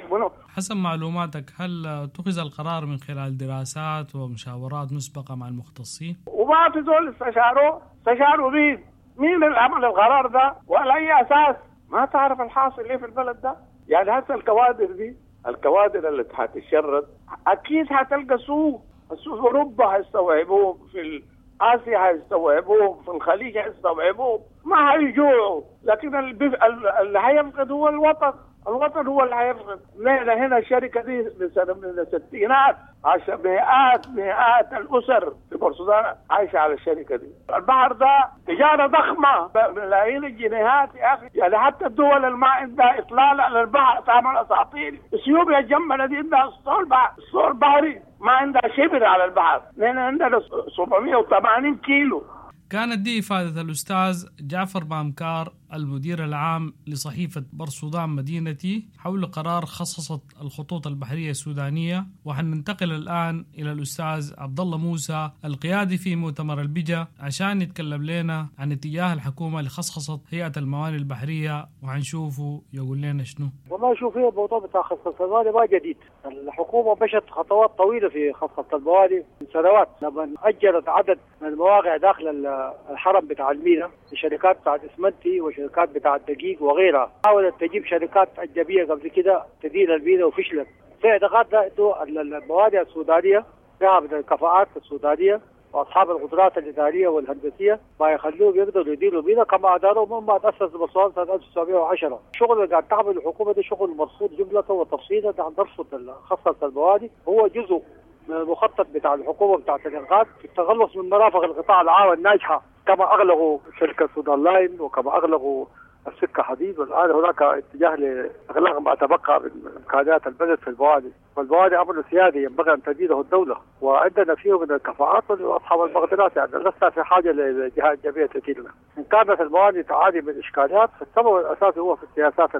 حسب معلوماتك هل اتخذ القرار من خلال دراسات ومشاورات مسبقة مع المختصين؟ وما في زول استشاروا استشاروا مين؟ مين اللي عمل القرار ده؟ وعلى أي أساس؟ ما تعرف الحاصل إيه في البلد ده؟ يعني هسه الكوادر دي، الكوادر اللي هتتشرد أكيد هتلقى سوق، السوق في أوروبا هيستوعبوه، في آسيا هيستوعبوه، في الخليج هيستوعبوه، ما هيجوعوا. لكن اللي هيفقد هو الوطن، الوطن هو اللي هيفقد. نحن هنا الشركة دي من سنة من الستينات عشان مئات مئات الأسر في بورسودان عايشة على الشركة دي. البحر ده تجارة ضخمة بملايين الجنيهات يا أخي. يعني حتى الدول اللي ما عندها إطلال على البحر تعمل أساطيل. اثيوبيا الجنبنا دي عندها اسطول بحر، اسطول بحري، ما عندها شبر على البحر. نحن عندنا سبعمية وثمانين كيلو. كانت دي إفادة الأستاذ جعفر بامكار المدير العام لصحيفة بورسودان مدينتي حول قرار خصصت الخطوط البحرية السودانية. وحننتقل الآن إلى الأستاذ عبد الله موسى القيادي في مؤتمر البجا عشان يتكلم لنا عن اتجاه الحكومة لخصخصة هيئة الموانئ البحرية، وحنشوفه يقول لنا شنو. والله شوف، هي الموضوع بتاع خصخصة الموانئ ما جديد. الحكومة مشت خطوات طويلة في خصخصة الموانئ من سنوات، لما أجرت عدد من المواقع داخل الحرم بتاع المينا لشركات بتاعت اسمنتي وشركات بتاعت دقيق وغيرها. حاولت تجيب شركات أجنبية قبل كده تدير المينا وفشلت. في اعتقادنا انه الموانئ السودانية فيها من الكفاءات السودانية واصحاب القدرات الادارية والهندسية ما يخلوهم يقدروا يديروا المينا كما اداروا مما تاسس بورسودان سنة ألف وتسعمية وعشرة. الشغل اللي قاعد تعمل الحكومة ده شغل مرصود جملة وتفصيلا. نحن نرصد خصخصه الموانئ، هو جزء من المخطط بتاع الحكومة بتاعت الانقاذ في التخلص من مرافق القطاع العام الناجحة، كما اغلقوا شركة سودان لاين وكما اغلقوا السكة حديد، والان هناك اتجاه لاغلاق ما تبقى من امكانيات البلد في الموانئ. والموانئ امر سيادي ينبغي ان تديره الدولة، وعندنا فيه من الكفاءات واصحاب المقدرات، يعني لسنا في حاجة لجهات اجنبية تديرنا. ان كانت الموانئ تعاني من اشكاليات فالسبب الاساسي هو في السياسات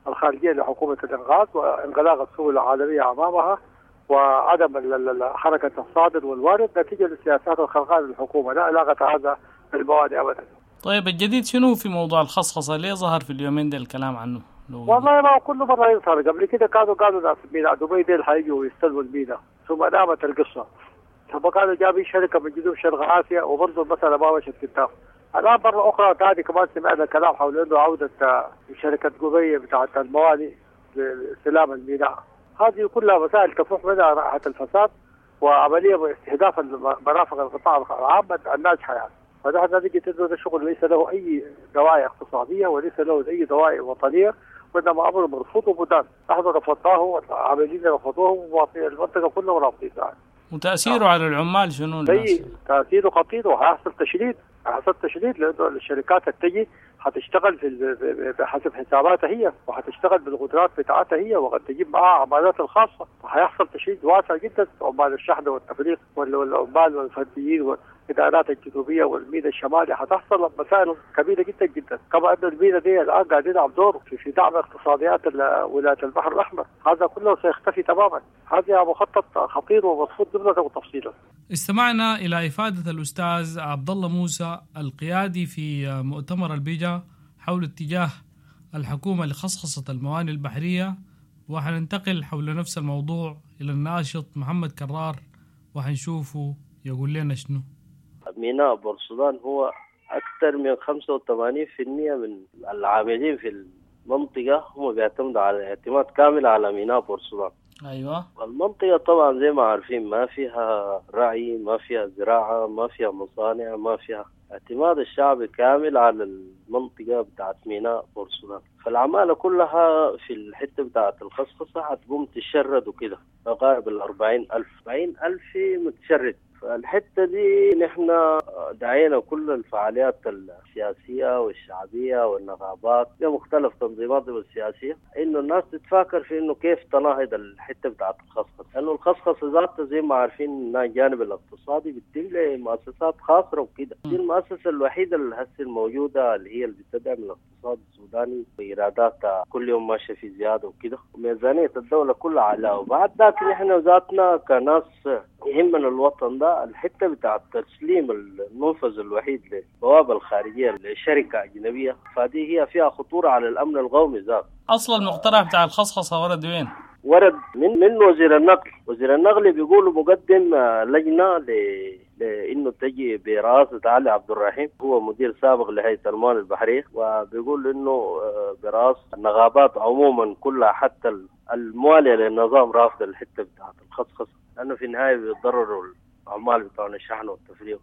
الخارجية لحكومة الانغاذ وانغلاق السوق العالمية امامها وعدم حركة الصادر والوارد نتيجة للسياسات الخرقاء للحكومة. لا علاقة هذا بالموانئ ابدا. طيب الجديد شنو في موضوع الخصخصه؟ ليه ظهر في اليومين ده الكلام عنه؟ والله ما كل مرة يظهر. قبل كده كانوا قالوا ناس ميناء دبي ديل حيجوا ويستلموا الميناء، ثم نامت القصة، ثم قالوا جابوا شركة من جنوب شرق اسيا وبرضه المسالة ما مشت قدام. الان مرة اخرى ثاني كمان سمعنا كلام حول انه عوده شركة دبي بتاعت الموانئ لاستلام الميناء. هذه كلها مسائل تفوح منها رائحة الفساد وعملية استهداف مرافق القطاع العام الناجحة يعني. فنحن نجد انه هذا الشغل ليس له اي دواعي اقتصادية وليس له اي دواعي وطنية، وانما امر مرفوض ومدان. نحن رفضناه والعاملين رفضوه ومواطنين المنطقة كلهم رافضين يعني. وتاثيره على العمال شنو؟ تاثيره خطير، وحيحصل تشريد، حيحصل تشريد لانه الشركات التجي حتشتغل في بحسب حساباتها هي، وحتشتغل بالقدرات بتاعتها هي، وقد تجيب معها عمالات الخاصة، فحيحصل تشريد واسع جدا. عمال الشحن والتفريغ والعمال والفنيين والادارات الجنوبية والمينا الشمالي، حتحصل مسائل كبيرة جدا جدا. كما ان المينا دي الان قاعد يلعب دور في, في دعم اقتصاديات ولاية البحر الاحمر، هذا كله سيختفي تماما. هذا مخطط خطير ومرفوض جملة وتفصيلا. استمعنا إلى إفادة الأستاذ عبد الله موسى القيادي في مؤتمر البيجا حول اتجاه الحكومة لخصخصة الموانئ البحرية، وحننتقل حول نفس الموضوع إلى الناشط محمد كرار وحنشوفه يقول لنا شنو. ميناء بورسودان هو أكثر من خمسة وثمانين بالمئة من العاملين في المنطقة هم بيعتمدوا على اعتماد كامل على ميناء بورسودان. أيوة. المنطقة طبعا زي ما عارفين ما فيها رعي، ما فيها زراعة، ما فيها مصانع، ما فيها اعتماد الشعب كامل على المنطقة بتاعت ميناء بورسودان. فالعمالة كلها في الحتة بتاعت الخصخصة هتقوم تشرد وكده، تقارب الأربعين ألف أربعين ألف متشرد. فالحتة دي نحن دعينا كل الفعاليات السياسية والشعبية والنقابات بمختلف تنظيماتهم السياسية إنه الناس تتفاكر في إنه كيف تناهض الحتة بتاعت الخصخصة، لأنه الخصخصة ذاتها زي ما عارفين إنها الجانب الاقتصادي بتتم لمؤسسات خاصة وكده. دي المؤسسة الوحيدة اللي هسه الموجودة اللي هي اللي بتدعم الاقتصاد السوداني وإيراداتها كل يوم ماشية في زيادة وكده، وميزانية الدولة كلها على. وبعد ذاك نحن ذاتنا كناس يهمنا الوطن ده، الحتة بتاع تسليم المنفذ الوحيد للبوابة الخارجية لشركة أجنبية، فدي هي فيها خطورة على الأمن القومي ذات. أصل المقترح بتاع الخصخصة ورد وين؟ ورد من من وزير النقل. وزير النقل بيقولوا مقدم لجنة ل لانه تجي برئاسة علي عبد الرحيم، هو مدير سابق لهيئة الموانئ البحرية، وبيقول انه برئاسة النقابات عموما كلها حتى الموالية للنظام رافضه الحتة بتاعت الخصخصه، لانه في النهاية بيتضرروا العمال بتوع الشحن والتفريغ.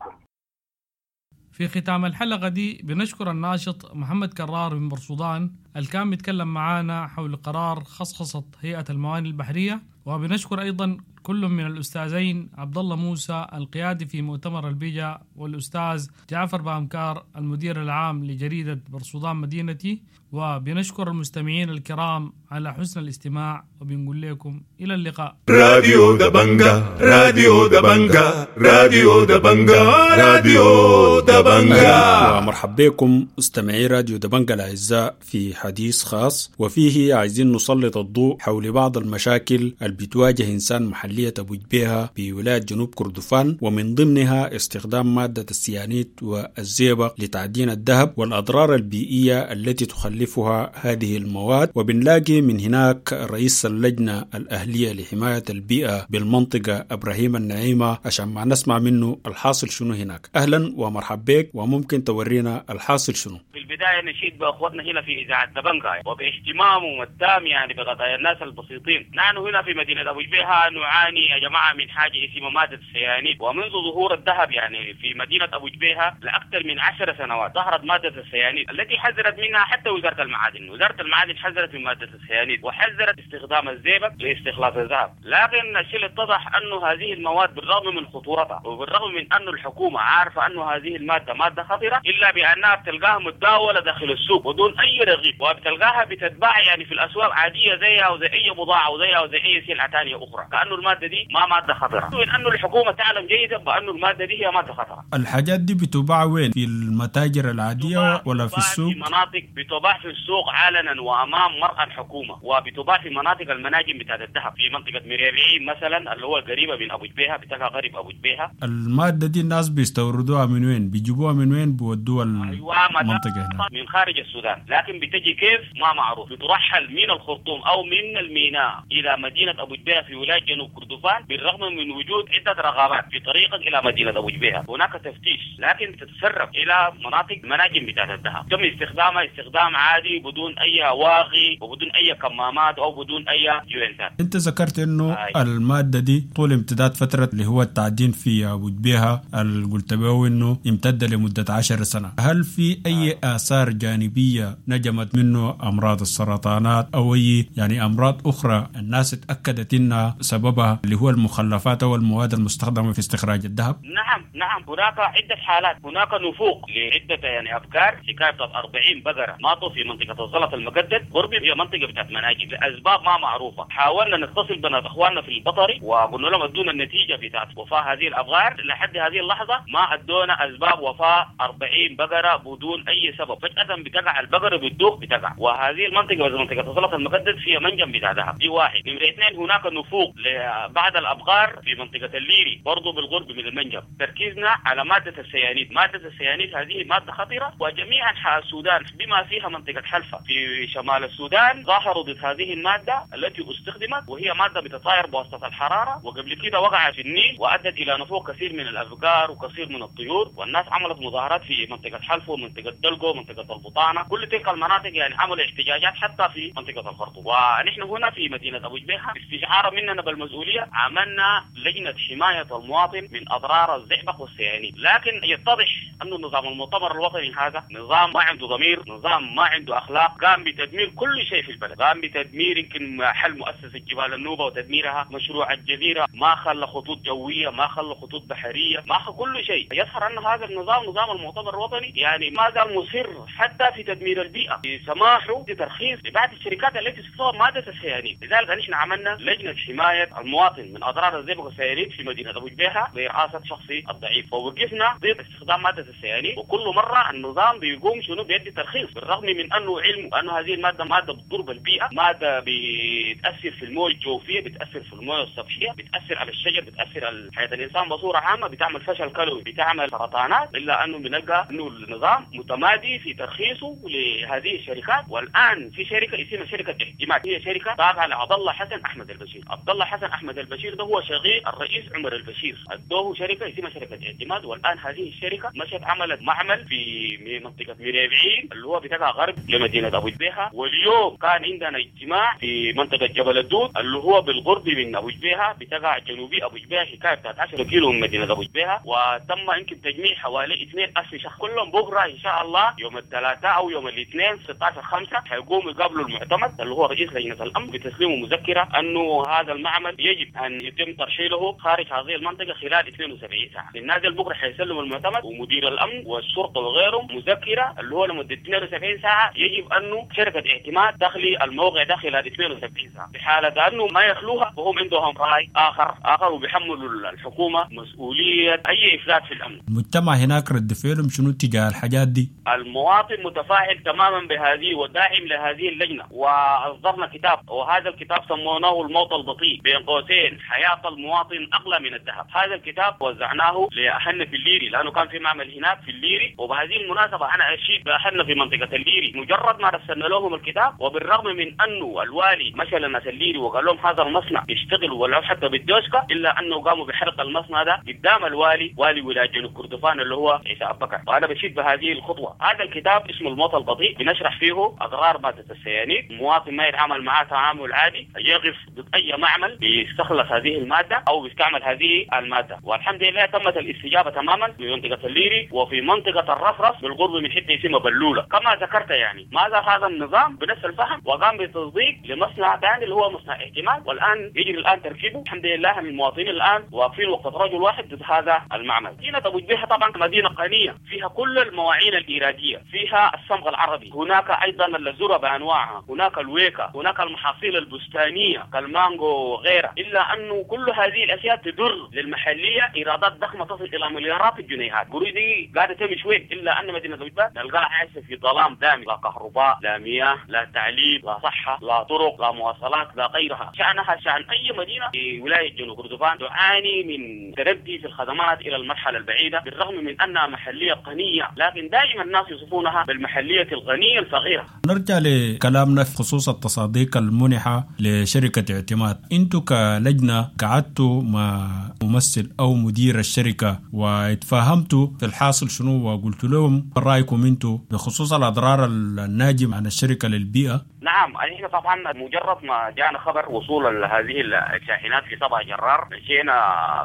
في ختام الحلقة دي بنشكر الناشط محمد كرار من بورسودان اللي كان بيتكلم معانا حول قرار خصخصة هيئة الموانئ البحرية، وبنشكر أيضا كل من الأستاذين عبد الله موسى القيادي في مؤتمر البيجا، والأستاذ جعفر بامكار المدير العام لجريدة بورسودان مدينتي، وبنشكر المستمعين الكرام على حسن الاستماع، وبنقول لكم إلى اللقاء. راديو دبنجا، راديو دبنجا، راديو دبنجا، راديو دبنجا. ومرحبا بكم مستمعي راديو دبنجا الأعزاء في حديث خاص، وفيه عايزين نسلط الضوء حول بعض المشاكل اللي بتواجه إنسان محلية أبو جبيهة بولاية جنوب كردفان، ومن ضمنها استخدام مادة السيانيت والزئبق لتعدين الذهب والأضرار البيئية التي تخلفها هذه المواد. وبنلاقي من هناك رئيس اللجنة الأهلية لحماية البيئة بالمنطقة إبراهيم النعيمة عشان ما نسمع منه الحاصل شنو هناك. أهلا ومرحبا بك، وممكن تورينا الحاصل شنو؟ في البداية نشيد بأخوتنا هنا في إذاعة دبنجا وباهتمامهم التام يعني بقضايا الناس البسيطين. نحن هنا في مدينة أبو جبيهة نعاني يا جماعة من حاجة اسمها مادة السيانيد، ومنذ ظهور الذهب يعني في مدينة أبو جبيهة لأكثر من عشر سنوات ظهرت مادة السيانيد التي حذرت منها حتى وزارة المعادن. وزارة المعادن حذرت من مادة السيانيد وحذرت استخدام الزئبق لاستخلاص الذهب، لكن الشيء اللي اتضح أنه هذه المواد بالرغم من خطورتها وبالرغم من أنه الحكومة عارفة أنه هذه المادة مادة خطيرة، إلا بأنها بتلقاها متداولة داخل السوق ودون أي رغيب، وبتلقاها بتتباع يعني في الأسواق عادية زيها وزي أي بضاعة وزيها وزي أي سلعة ثانية أخرى، كأنه المادة دي ما مادة خطرة، وإن أنه الحكومة تعلم جيدا بأنه المادة دي هي مادة خطرة. الحاجات دي بتباع وين؟ في المتاجر العادية ولا في السوق؟ في مناطق بتباع في السوق علنا وأمام مرأى الحكومة، وبتباع في مناطق المناجم بتاعت الذهب في منطقة مريبعين مثلا اللي هو قريبة من أبو جبيهة، بتلقى غريب أبو جبيهة. المادة دي الناس بيستوردوها من وين؟ بيجيبوها من وين؟ بيودوها أيوة المنطقة هنا من خارج السودان، لكن بتجي كيف ما معروف، بترحل من الخرطوم أو من الميناء إلى مدينة أبو جبيهة في ولاية جنوب كردفان بالرغم من وجود عدة رغبات في طريقك إلى مدينة أبو جبيهة. هناك تفتيش لكن تتسرب إلى مناطق مناجم بتاعت الذهب، تم استخدامها استخدام عادي بدون أي واغي وبدون أي كمامات أو بدون أي جوينتات. أنت ذكرت إنه آه. المادة دي طول امتداد فترة اللي هو التعدين في أبو جبيهة اللي قلت به إنه امتد لمدة عشر سنة، هل في أي آه. آثار جانبية نجمت منه أمراض السرطانات أو أي يعني أمراض أخرى الناس اتأكدت إنها سببها اللي هو المخلفات أو المواد المستخدمة في استخراج الذهب؟ نعم نعم، هناك عدة حالات، هناك نفوق لعدة يعني أبكار، حكاية أربعين بقرة ماتوا في منطقة الزلط المقدد قرب هي منطقة بتاعت مناجم لأسباب ما معروفة. حاولنا نتصل بنا إخواننا في البطري وقلنا لهم ادونا النتيجة بتاعت وفاة هذه الأبقار، لحد هذه اللحظة ما ادونا أسباب وفاة أربعين بقرة بدون أي سبب. فجأة بتقع البقرة بتدوخ بتقع، وهذه المنطقة منطقة الزلط المقدد فيها منجم بتاع ذهب، دي واحد. نمرة اثنين هناك نفوق لبعض الأبقار في منطقة الليري برضو بالقرب من المنجم. تركيزنا على مادة السيانيد، مادة السيانيد هذه مادة خطيرة، وجميع أنحاء السودان بما فيها منطقة حلفة في شمال السودان ظاهروا ضد هذه المادة التي استخدمت، وهي مادة بتطاير بواسطة الحرارة، وقبل كده وقعت في النيل وأدت إلى نفوق كثير من الأبقار وكثير من الطيور، والناس عملت مظاهرات في منطقة حلفة ومنطقة دلقو ومنطقة البطانة، كل تلك المناطق يعني عملوا احتجاجات حتى في منطقة الخرطوم. ونحن هنا في مدينة أبو جبيهة استشعارا مننا بالمسؤولية عملنا لجنة حماية المواطن من أضرار الزئبق والسيانيد، لكن يتضح أن نظام المؤتمر الوطني هذا نظام ما عنده ضمير، نظام ما عنده أخلاق، قام بتدمير كل شيء في البلد، قام بتدمير يمكن حل مؤسسة جبال النوبة وتدميرها، مشروع الجزيرة، ما خلى خطوط جوية، ما خلى خطوط بحرية، ما خلى كل شيء. يظهر أن هذا النظام نظام المؤتمر الوطني يعني ما زال مصر حتى في تدمير البيئة، سماحه بترخيص لبعض الشركات التي تستخدم مادة السيانيد. لذلك نحن عملنا لجنة حماية المواطن من أضرار الزئبق والسيانيد في مدينة أبو جبيهة برئاسة شخصي الضعيف، ووقفنا ضد استخدام مادة السيانيد. وكل مرة النظام بيقوم شنو بيدي ترخيص، بالرغم من أنه علمه أنه هذه المادة مادة بتضر بالبيئة، مادة بتأثر في الموية الجوفية، بتأثر في الموية السطحية، بتأثر على الشجر، بتأثر على حياة الإنسان بصورة عامة، بتعمل فشل كلوي، بتعمل سرطانات، إلا أنه بنلقى أنه النظام متمادي في ترخيصه لهذه الشركات. والآن في شركة اسمها شركة اعتماد، هي شركة تابعة لعبد الله حسن أحمد البشير. عبد الله حسن أحمد البشير ده هو شقيق الرئيس عمر البشير، أدوه شركة اسمها شركة اعتماد. والآن هذه الشركة مشت عملت معمل في منطقة مريبعين اللي هو بتاع غرب لمدينة أبو جبيهة. واليوم كان عندنا اجتماع في منطقة جبل الدود اللي هو بالقرب من أبو جبيهة، بتقع جنوبي أبو جبيهة، حكاية بتاعت عشرة كيلو من مدينة أبو جبيهة، وتم يمكن تجميع حوالي اثنين ألف شخص كلهم. بكرة إن شاء الله يوم الثلاثاء أو يوم الاثنين ستة عشر خمسة حيقوموا يقابلوا المعتمد اللي هو رئيس لجنة الأمن بتسليمه مذكرة أنه هذا المعمل يجب أن يتم ترحيله خارج هذه المنطقة خلال اثنين وسبعين ساعة. النازل بكرة حيسلم المعتمد ومدير الأمن والشرطة وغيرهم مذكرة اللي هو لمدة اثنين وسبعين ساعة يجب أنه شركة اعتماد تخلي الموقع ده خلال اثنين وسبعين ساعة. في حالة أنه ما يخلوها وهم عندهم رأي آخر آخر وبيحملوا الحكومة مسؤولية أي إفلات في الأمن. المجتمع هناك رد فعلهم شنو تجاه الحاجات دي؟ المواطن متفاعل تماما بهذه وداعم لهذه اللجنة، وأصدرنا كتاب، وهذا الكتاب سموناه الموت البطيء بين قوسين حياة المواطن أغلى من الذهب. هذا الكتاب وزعناه لأهلنا في الليري لأنه كان في معمل هناك في الليري، وبهذه المناسبة أنا أشيد بأهلنا في منطقة الليري مجرد ما رسلنا لهم الكتاب، وبالرغم من أنه الوالي مشى لناس الليري وقال لهم هذا المصنع يشتغل ولو حتى بالدوشكة، إلا أنه قاموا بحرق المصنع ده قدام الوالي والي ولاية جنوب كردفان اللي هو عيسى أبو بكر. وأنا بشيد بهذه الخطوة. هذا الكتاب اسمه الموت البطيء، بنشرح فيه أضرار مادة السيانيد، المواطن ما يتعامل معاه تعامل عادي، يقف ضد أي معمل بيستخلص هذه المادة أو بيستعمل هذه المادة. والحمد لله تمت الاستجابة تماما في منطقة الليري وفي منطقة الرفرف بالقرب من حتة اسمها بلولة كما ذكرت. يعني ماذا هذا النظام بنفس الفهم وقام بتصديق لمصنع ثاني اللي هو مصنع احتمال، والآن يجري الآن تركيبه. الحمد لله المواطنين الآن واقفين وقت رجل واحد ضد هذا المعمل. مدينة أبو جبيهة طبعا مدينة غنية، فيها كل المواعين الإيرادية، فيها الصمغ العربي، هناك أيضا الذرة بأنواعها، هناك الويكا، هناك المحاصيل البستانية كالمانجو وغيرها. إلا أنه كل هذه الأشياء تدر للمحلية إيرادات ضخمة تصل إلى مليارات الجنيهات. قروش دي قاعدة تمشي وين؟ إلا أن مدينة أبو جبيهة نلقاها عايشة في ظلام دامي، لا كهرباء، لا مياه، لا تعليم، لا صحة، لا طرق، لا مواصلات، لا غيرها. شأنها شأن أي مدينة في ولاية جنوب كردفان تعاني من تردي في الخدمات إلى المرحلة البعيدة، بالرغم من أنها محلية غنية، لكن دائما الناس يصفونها بالمحلية الغنية الفقيرة. نرجع لكلامنا في خصوص التصاديق المنحة لشركة اعتماد. انتوا كلجنة قعدتوا مع ممثل أو مدير الشركة واتفاهمتوا في الحاصل شنو وقلت لهم رأيكم انتوا بخصوص الأضرار الناجمة عن الشركة للبيئة؟ نعم، احنا طبعا مجرد ما جاءنا خبر وصول هذه الشاحنات في سبع جرار مشينا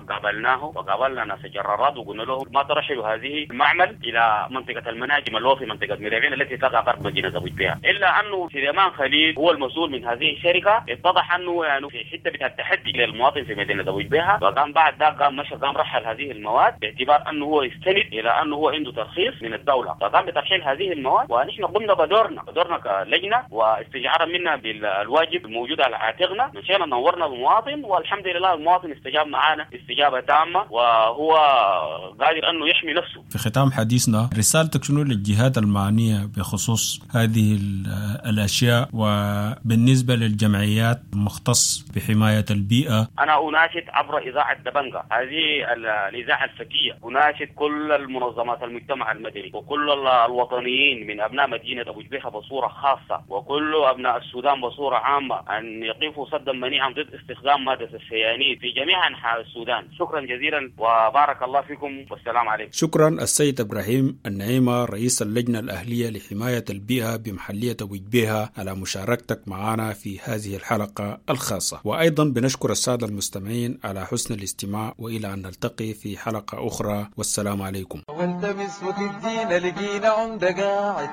قابلناه وقابلنا ناس الجرارات وقلنا لهم ما ترحلوا هذه المعمل الى منطقة المناجم اللي هو في منطقة مريبين التي تقع غرب مدينة ابو جبيهة. الا انه سليمان خليل هو المسؤول من هذه الشركة، اتضح انه يعني في حتة بتاع التحدي للمواطن في مدينة ابو جبيهة، وقام بعد ذاك قام مشى قام رحل هذه المواد باعتبار انه هو يستند الى انه هو عنده ترخيص من الدولة، فقام بترحيل هذه المواد. ونحن قمنا بدورنا بدورنا كلجنه و استشعارا منا بالواجب الموجود على عاتقنا مشينا نورنا المواطن، والحمد لله المواطن استجاب معنا استجابة تامة وهو قادر أنه يحمي نفسه. في ختام حديثنا، رسالتك شنو للجهات المعنية بخصوص هذه الأشياء وبالنسبة للجمعيات المختص بحماية البيئة؟ أنا أناشد عبر إذاعة دبنجة، هذه الإذاعة الفتية، أناشد كل المنظمات المجتمع المدني وكل الوطنيين من أبناء مدينة أبو جبيهة بصورة خاصة وكل أبناء السودان بصورة عامة أن يقفوا صدا منيعا ضد استخدام مادة السيانيد في جميع أنحاء السودان. شكرا جزيلا وبارك الله فيكم والسلام عليكم. شكرا السيد إبراهيم النعيمة رئيس اللجنة الأهلية لحماية البيئة بمحلية أبو جبيهة على مشاركتك معنا في هذه الحلقة الخاصة، وأيضا بنشكر السادة المستمعين على حسن الاستماع، وإلى أن نلتقي في حلقة أخرى والسلام عليكم. والتمس وتدينا لقينا عمدة قاعد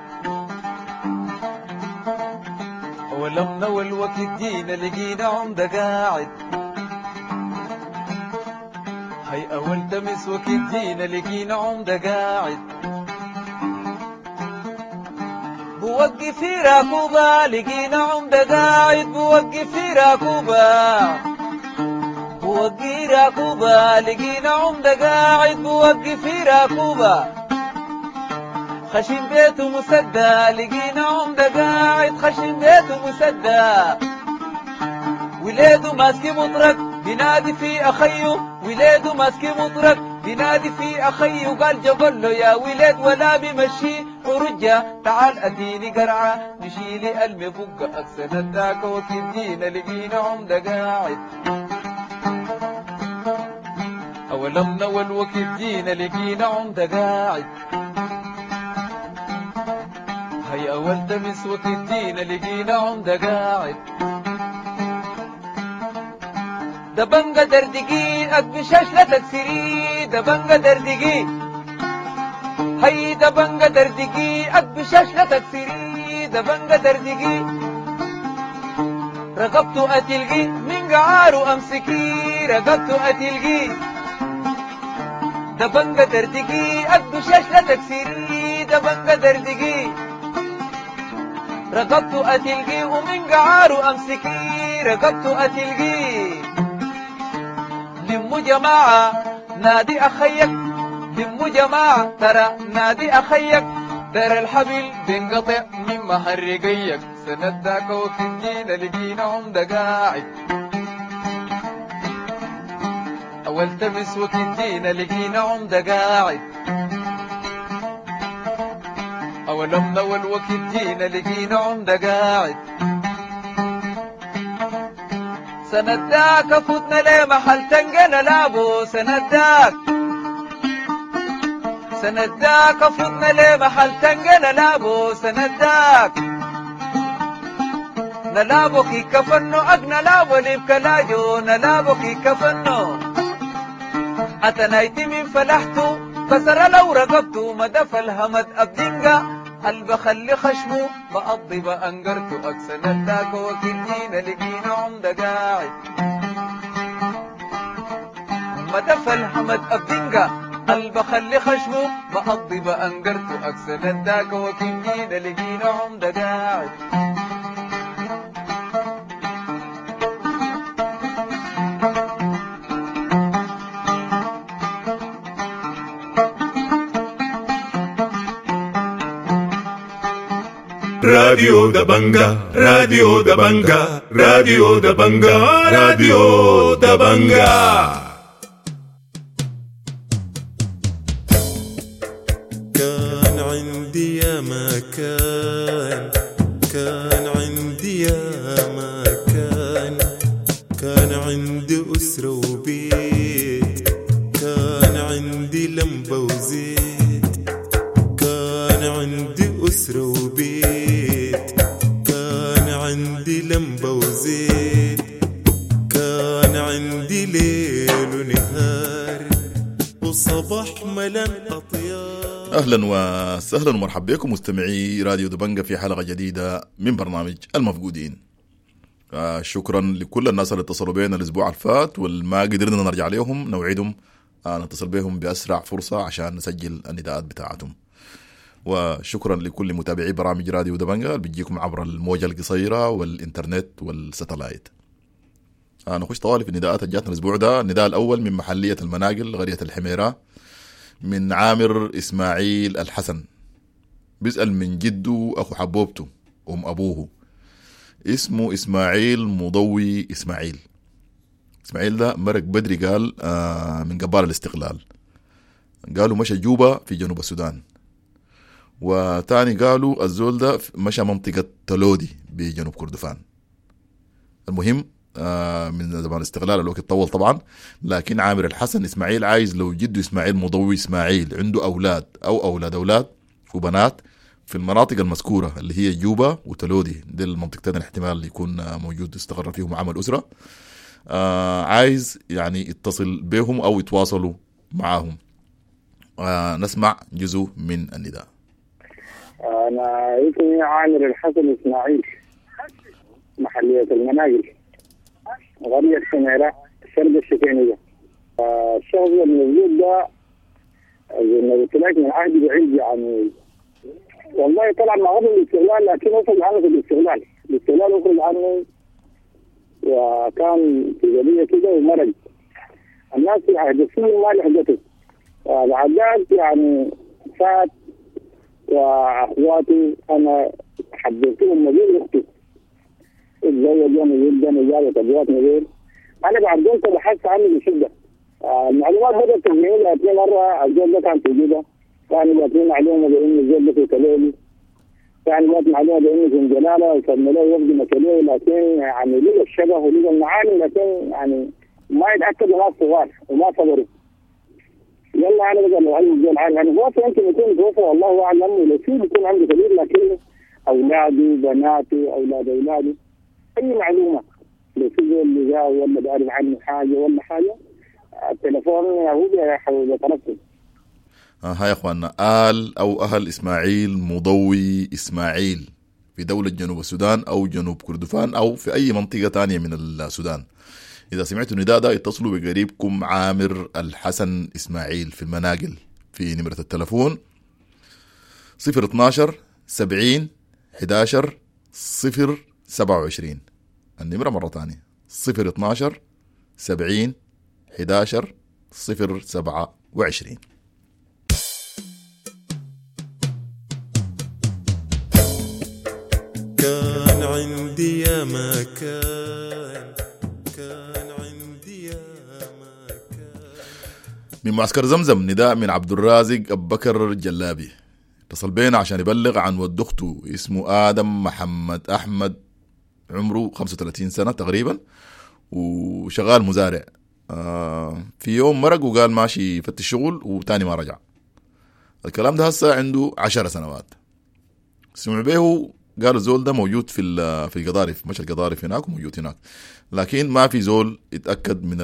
ولمنا والوقت جينا لقينا عمدة قاعد هي أول تمس وقت جينا لقينا عمدة قاعد بوقف في راكوبة لقينا عمدة قاعد بوقف في راكوبة بوقي راكوبة لقينا عمدة قاعد بوقف في راكوبة خشم بيته مسدى لقينا عمدة قاعد خشم بيته مسدى وليده ماسك مطرق بينادي في أخيه وليده ماسك مطرق بينادي في أخيه قال جبل له يا ولاد ولا بمشي ورجع تعال أديني قرعة نشيلي المفقة أكسن الداك وكدينا لقينا عمدة قاعد أولمنا والوقت جينا لقينا عمدة قاعد هي أول تمس وتدينا لقينا عمدة قاعد دبنجة دردقي أكبشاش لا تكسري دبنجة دردقي هي دبنجة دردقي أكبشاش لا تكسري دبنجة دردقي رقبته أتلقي من قعاره أمسكي رقبته أتلقي دبنجة دردقي أكبشاش لا تكسري دبنجة دردقي رقبته أتلقي ومن قعاره أمسكي رقبته أتلقي لمو جماعة نادي أخيك لمو جماعة ترى نادي أخيك ترى الحبل بينقطع من مهرقيك سنداك وكدينا لقينا عمدة قاعد أول تمس وكدينا لقينا عمدة قاعد أولمنا والوقت جينا لقينا عمدة قاعد سنداك فتنا ليه محل تنقنا لابو سنداك سنداك فتنا ليه محل تنقنا لابو سنداك نلابو كي كفنو أقنا لابو لبكلاجو نلابو كي كفنو أتنايتي من فلحتو كسر لو رقبتو مدف الهمد أبدنجا قلب خلي خشمه بقضي بأنجرته أكسن الداك وكدينا لقينا عمدة قاعد مدف الهمد أبدنجا قلب خلي خشمه بقضي بأنجرته أكسن الداك وكدينا لقينا عمدة قاعد راديو دبنجة راديو دبنجة راديو دبنجة راديو دبنجة. كان عندي يا ما كان كان عندي يا ما كان كان عندي أسرة وبيت كان عندي لمبة وزيت كان عندي أسرة وبيت كان عندي لمبة وزيت كان عندي ليل ونهار وصباح ملان أطيار. أهلا وسهلا ومرحبا بكم مستمعي راديو دبنجة في حلقة جديدة من برنامج المفقودين. آه شكرا لكل الناس اللي اتصلوا بينا الأسبوع الفات والما قدرنا نرجع لهم، نوعدهم آه نتصل بهم بأسرع فرصة عشان نسجل النداءات بتاعتهم. وشكرا لكل متابعي برامج راديو دبنجا اللي بتجيكم عبر الموجة القصيرة والإنترنت والستلايت. آه نخش طوالي في النداءات اللي جاتنا الأسبوع ده. النداء الأول من محلية المناقل قرية الحميرة، من عامر إسماعيل الحسن، بيسأل من جده أخو حبوبته أم أبوه، اسمه إسماعيل مضوي إسماعيل. إسماعيل ده مرق بدري، قال آه من قبال الاستقلال، قالوا مشى جوبا في جنوب السودان، وتاني قالوا الزول ده مشى منطقة تلودي بجنوب كردفان. المهم آه من زمان الاستقلال الوقت طول طبعا، لكن عامر الحسن إسماعيل عايز لو جده إسماعيل مضوي إسماعيل عنده أولاد أو أولاد أولاد وبنات في المناطق المذكورة اللي هي جوبا وتلودي، دي المنطقتين الاحتمال يكون موجود استقر فيهم عمل أسرة. آه عايز يعني يتصل بهم أو يتواصلوا معاهم. آه نسمع جزء من النداء. أنا اسمي عامر الحسن إسماعيل، محلية المناقل، قرية سميرة، شرق الشكينية. الشخص الموجود ده زي ما قلت لك من عهد بعيد يعني، والله طلع مع قبل الاستغلال، لكن وصل عنه في الاستغلال، الاستغلال وصل عنه وكان في قضية كده ومرج. الناس في عهد السنين ما لحقته. بعد ذلك يعني فات، واخواتي انا حبيتهم مدير اختي اتزوجوا جدا وجابت ابوات مدير. انا بعد ذلك بحثت عنه بشده. المعلومات بدات تجيني جاتني مرة الزول ده كان في جوبا، كان جاتني معلومة بانه الزول ده في تلولي، كان جات معلومة بانه في جلاله، وكان له وفد مكاني، لكن يعني لقى الشبه ولقى المعالم، لكن يعني ما يتاكدوا ناس صغار وما صبروا. يلا انا بقى لو علم الزول عارف يعني هو يمكن يكون توفى والله اعلم، ولو في بيكون عنده كبير، لكن اولاده بناته اولاد اولاده اي معلومة لو في زول اللي جاء ولا بيعرف عنه حاجة ولا حاجة، التليفون هو بيترسل. آه هاي يا اخواننا، آل او اهل اسماعيل مضوي اسماعيل في دولة جنوب السودان او جنوب كردفان او في اي منطقة تانية من السودان، إذا سمعتوا النداء ده اتصلوا بقريبكم عامر الحسن إسماعيل في المناقل في نمرة التلفون صفر اتناشر سبعين حداشر صفر سبعة وعشرين. النمرة مرة تانية صفر اتناشر سبعين حداشر صفر سبعة وعشرين. كان عندي يا ما كان، كان عندي يا ما كان. من معسكر زمزم نداء من عبد الرازق أبو بكر جلابي، اتصل بينا عشان يبلغ عن ود اخته اسمه آدم محمد أحمد، عمره خمسة وثلاثين سنة تقريبا وشغال مزارع. آه في يوم مرق وقال ماشي يفتش شغل وتاني ما رجع. الكلام ده هسه عنده عشر سنوات. سمع به قالوا الزول ده موجود في في القضارف، مش القضارف هناك وموجود هناك، لكن ما في زول يتأكد من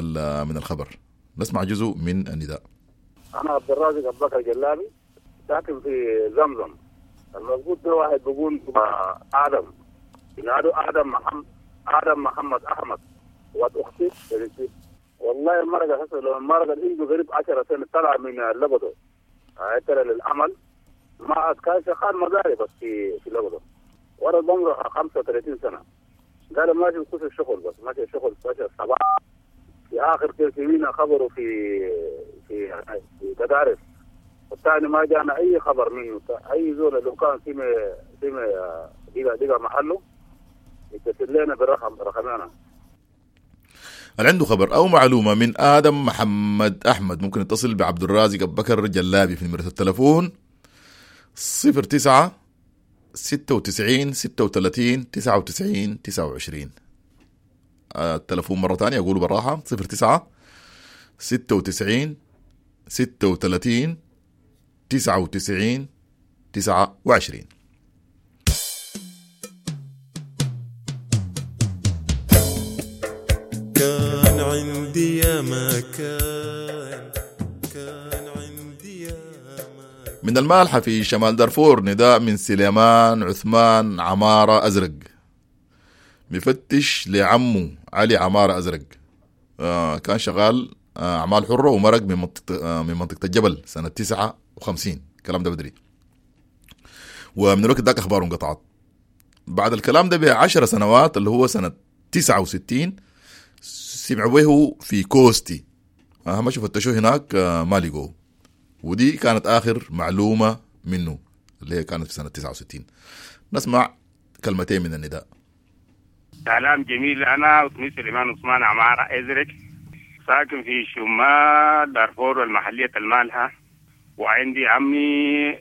من الخبر. نسمع جزء من النداء. أنا عبد الرازق أبو بكر جلابي، ساكن في زمزم. الموجود ده واحد بيقول آدم، ينادوا آدم محمد، آدم محمد أحمد، واد أختي بنتي. والله المرقة هسه لو المرقة عنده قريب عشرة سنة طلع من لبدو طلع للعمل، ما كان شغال مزارع بس في في لبدو، ورا عمره خمسة وثلاثين سنة. قال ماشي يخش الشغل، بس ماشي الشغل ماشي الصباح في آخر كل خبره في في في تدارس، والثاني ما جانا أي خبر منه. أي زول لو كان في في دقة دقة محله يتصل لنا بالرقم رقمنا. اللي عنده خبر أو معلومة من آدم محمد أحمد ممكن يتصل بعبد الرازق أبو بكر جلابي في نمرة التلفون صفر تسعة ستة وتسعين ستة وثلاثين تسعة وتسعين تسعة وعشرين. التلفون مرة تانية أقوله بالراحة صفر تسعة ستة وتسعين ستة وثلاثين تسعة وتسعين تسعة وعشرين. كان عندي يا ما كان، كان عندي يا ما كان. من المالحة في شمال دارفور نداء من سليمان عثمان عمارة أزرق، بفتش لعمه علي عمارة أزرق. آه كان شغال آه أعمال حرة ومرق من منطقة آه من منطقة الجبل سنة تسعة وخمسين، الكلام ده بدري. ومن الوقت ذاك اخباره انقطعت. بعد الكلام ده بعشر سنوات اللي هو سنة تسعة وستين سمعوا به في كوستي، اهم شيء فتشوه هناك ما لقوه، ودي كانت اخر معلومة منه اللي هي كانت في سنة تسعة وستين. نسمع كلمتين من النداء. سلام جميل، انا اسمي سليمان عثمان عمارة ازرق، ساكن في شمال دارفور المحلية المالحة، وعندي عمي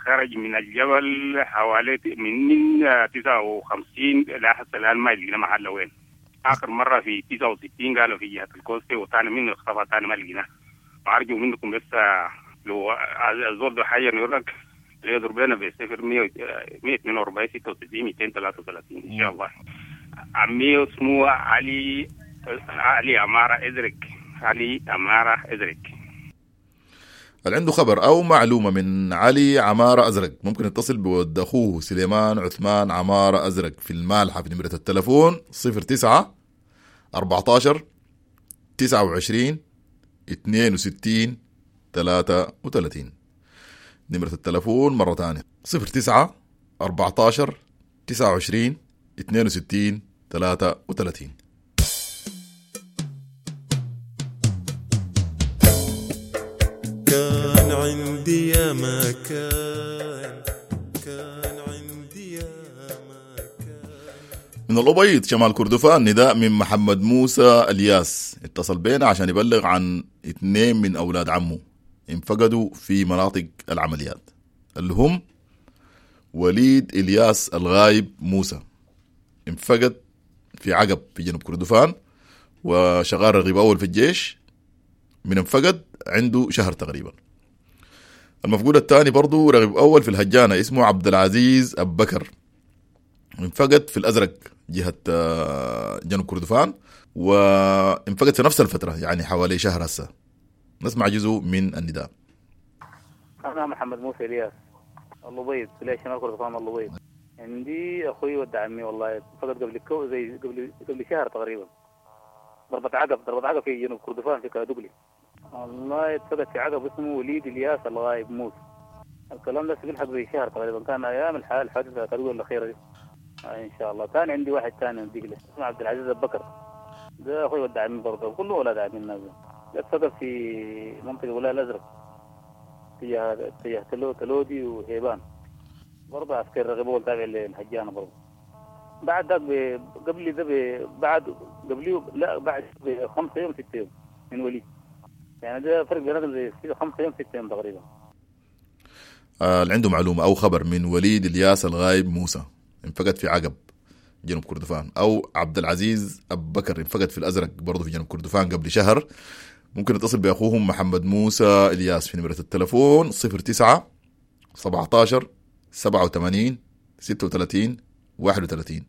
خرج من الجبل حوالي من تسعة وخمسين لحد الآن ما لقينا محله وين. آخر مرة في تسعة وستين قالوا في جهة الكوستي، وثاني منه اختفى، ثاني ما لقيناه. وأرجو منكم بس لو الزول ده حي يقول يضرب لنا بصفر مية اثنين وأربعين ستة وستين مئتين ثلاثة وثلاثين إن شاء الله. عمي اسمه علي علي عمارة إزرق، علي عمارة إزرق. اللي عنده خبر أو معلومة من علي عمارة أزرق ممكن يتصل بود أخوه سليمان عثمان عمارة أزرق في المالحة في نمرة التلفون صفر تسعة أربعتاشر تسعة وعشرين اثنين وستين ثلاثة وثلاثين. نمرة التلفون مرة تانية صفر تسعة أربعتاشر تسعة وعشرين اثنين وستين ثلاثة وثلاثين. كان عندي يا مكان، كان عندي يا مكان. من الأبيض شمال كردفان نداء من محمد موسى الياس، اتصل بينا عشان يبلغ عن اثنين من أولاد عمه انفقدوا في مناطق العمليات، اللي هم وليد إلياس الغايب موسى، انفقد في عقب في جنوب كردفان وشغال رغيب أول في الجيش، من انفقد عنده شهر تقريبا. المفقود الثاني برضو رغيب أول في الهجانة اسمه عبد العزيز أبو بكر، انفقد في الأزرق جهة جنوب كردفان، وانفقد في نفس الفترة يعني حوالي شهر هسه. نسمع جزء من النداء. أنا محمد موسى إلياس الأبيض، ولاية شمال كردفان الأبيض. عندي أخوي ود عمي والله انفقد قبل كو زي قبل قبل شهر تقريبا، ضربة عقب ضربة عقب في جنوب كردفان في كادوغلي. والله اتفقد في عقب اسمه وليد الياس الغايب موسى. الكلام ده بيلحق زي شهر تقريبا، كان ايام الحال الحادثة كادوغلي الاخيرة دي. آه ان شاء الله. كان عندي واحد ثاني نديك له اسمه عبد العزيز ابو بكر، ده اخوي ود عمي برضه، كله اولاد عمي الناس. اتفقد في منطقة ولاية الازرق تجاه تجاه تلو تلودي وهيبان، برضه عسكري رغبول تابع للهجانه برضه. بعد ذاك قبل ده بعد قبليه لا بعد خمسة يوم ستة يوم من وليد، يعني ده فرق بيناتهم زي خمسة يوم ستة يوم تقريبا. آه اللي عنده معلومة أو خبر من وليد الياس الغايب موسى انفقد في عقب جنوب كردفان، أو عبد العزيز أبو بكر انفقد في الأزرق برضه في جنوب كردفان قبل شهر، ممكن يتصل بأخوهم محمد موسى الياس في نمرة التلفون صفر تسعة سبعتاشر سبعة وثمانين ستة وثلاثين واحد وثلاثين.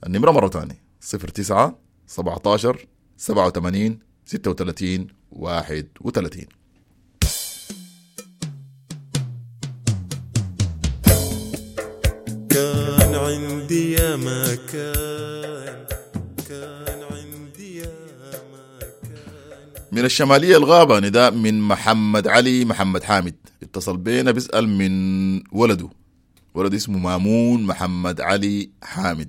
النمرة مرة تانية صفر تسعة سبعتاشر سبعة وثمانين ستة وثلاثين واحد وثلاثين. كان عندي يا مكان، كان عندي يا مكان. من الشمالية الغابة نداء من محمد علي محمد حامد، اتصل بينا بيسأل من ولده، ولد اسمه مامون محمد علي حامد،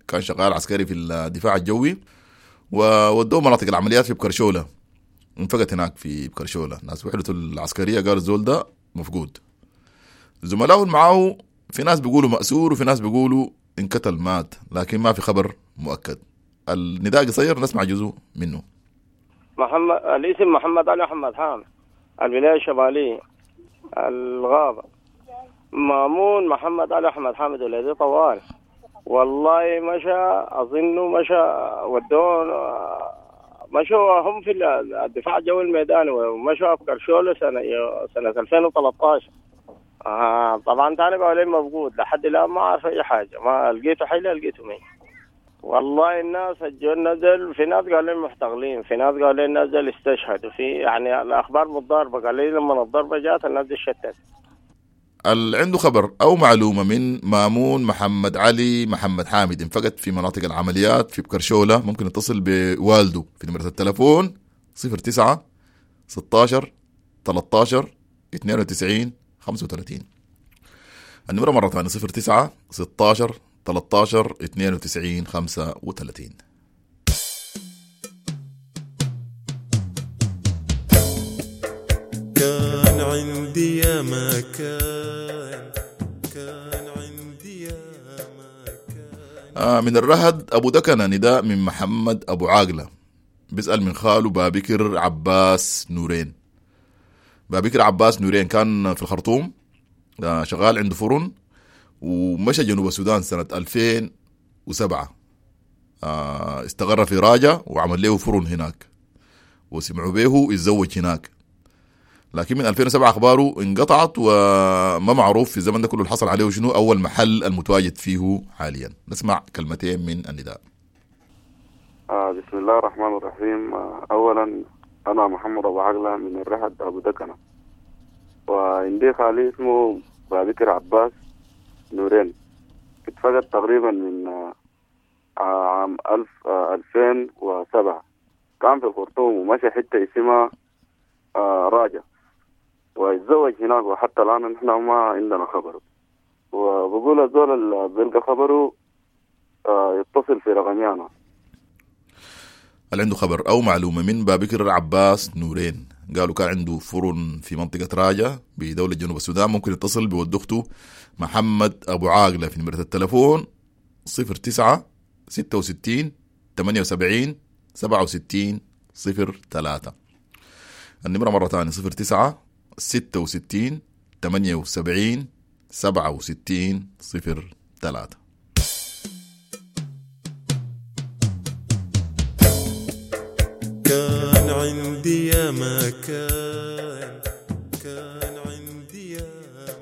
كان شغال عسكري في الدفاع الجوي وودوه مناطق العمليات في بكرشولة، انفقت هناك في بكرشولة. ناس وحدته العسكرية قالوا الزول ده مفقود. زملائه معاه في ناس بيقولوا مأسور وفي ناس بيقولوا انقتل مات، لكن ما في خبر مؤكد. النداء قصير نسمع جزء منه. محمد الاسم محمد علي محمد حامد، الولاية الشمالية الغابة. مامون محمد علي أحمد حامد ولدي طوال والله مشى، أظنه مشى ودون مشوا هم في الدفاع الجوي الميداني ومشوا في كرشولة سنة سنة ألفين وثلاثة عشر. آه طبعا تاني بقى مفقود لحد الآن، ما أعرف أي حاجة، ما لقيته حي لا لقيته مين. والله الناس الجو نزل، في ناس قالوا لي محتقلين، في ناس قالوا لي الناس دول استشهدوا، في يعني الأخبار متضاربة، قالوا لي لما الضربة جات الناس دي شتت. اللي عنده خبر أو معلومة من مامون محمد علي محمد حامد انفقد في مناطق العمليات في بكرشولة، ممكن يتصل بوالده في نمرة التلفون صفر تسعة ستاشر تلتاشر اثنين وتسعين خمسة وثلاثين. النمرة مرة ثانية صفر تسعة ستاشر تلتاشر اتنين وتسعين خمسة وتلاتين. كان عندي يا ما كان، كان عندي يا ما كان. آه من الرهد أبو دكنة نداء من محمد أبو عاقلة، بيسأل من خاله بابكر عباس نورين. بابكر عباس نورين كان في الخرطوم، آه شغال عنده فرن، ومشى جنوب السودان سنة ألفين وسبعة. آه استقر في راجة وعمل له فرن هناك، وسمعوا به يتزوج هناك، لكن من ألفين وسبعة أخباره انقطعت وما معروف في الزمن ده كله اللي حصل عليه شنو أول محل المتواجد فيه حاليا. نسمع كلمتين من النداء. آه بسم الله الرحمن الرحيم. آه أولا أنا محمد أبو عقلة من الرحد أبو دكنة، وعندي خالي اسمه بابكر عباس نورين، اتفقد تقريبا من آه عام ألف آه ألفين وسبعة، كان في الخرطوم ومشى حتة اسمها آه راجة ويتزوج هناك، وحتى الآن نحن ما عندنا خبره. وبقول الزول اللي بيلقى خبره آه يتصل في رقمي أنا. اللي عنده خبر أو معلومة من بابكر عباس نورين، قالوا كان عنده فرن في منطقة راجة بدولة جنوب السودان، ممكن يتصل بود أخته محمد أبو عاقلة في نمرة التلفون صفر تسعة ستة وستين ثمانية وسبعين سبعة وستين صفر ثلاثة. النمرة مرة ثانية صفر تسعة ستة وستين ثمانية وسبعين سبعة وستين صفر ثلاثة. كان عندي يا ما كان، كان عندي يا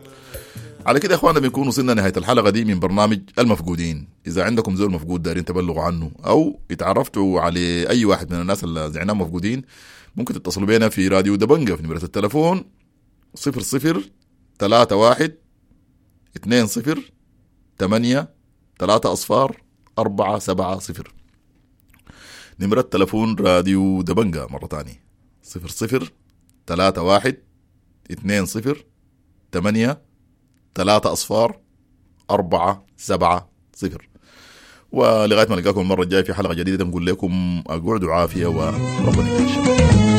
ما. على كده يا اخوانا بنكون وصلنا نهاية الحلقة دي من برنامج المفقودين. إذا عندكم زول مفقود دارين تبلغوا عنه أو اتعرفتوا على أي واحد من الناس اللي زعناهم مفقودين، ممكن تتصلوا بينا في راديو دبنجة في نمرة التلفون صفر صفر ثلاثة واحد اثنين صفر ثمانية ثلاثة أصفار أربعة سبعة صفر. نمرة تلفون راديو دبنجة مرة تانية صفر صفر ثلاثة واحد اثنين صفر ثمانية ثلاثة أصفار أربعة سبعة صفر. ولغاية ما نلقاكم المرة الجاية في حلقة جديدة نقول لكم أقعدوا عافية وربنا يكرمكم.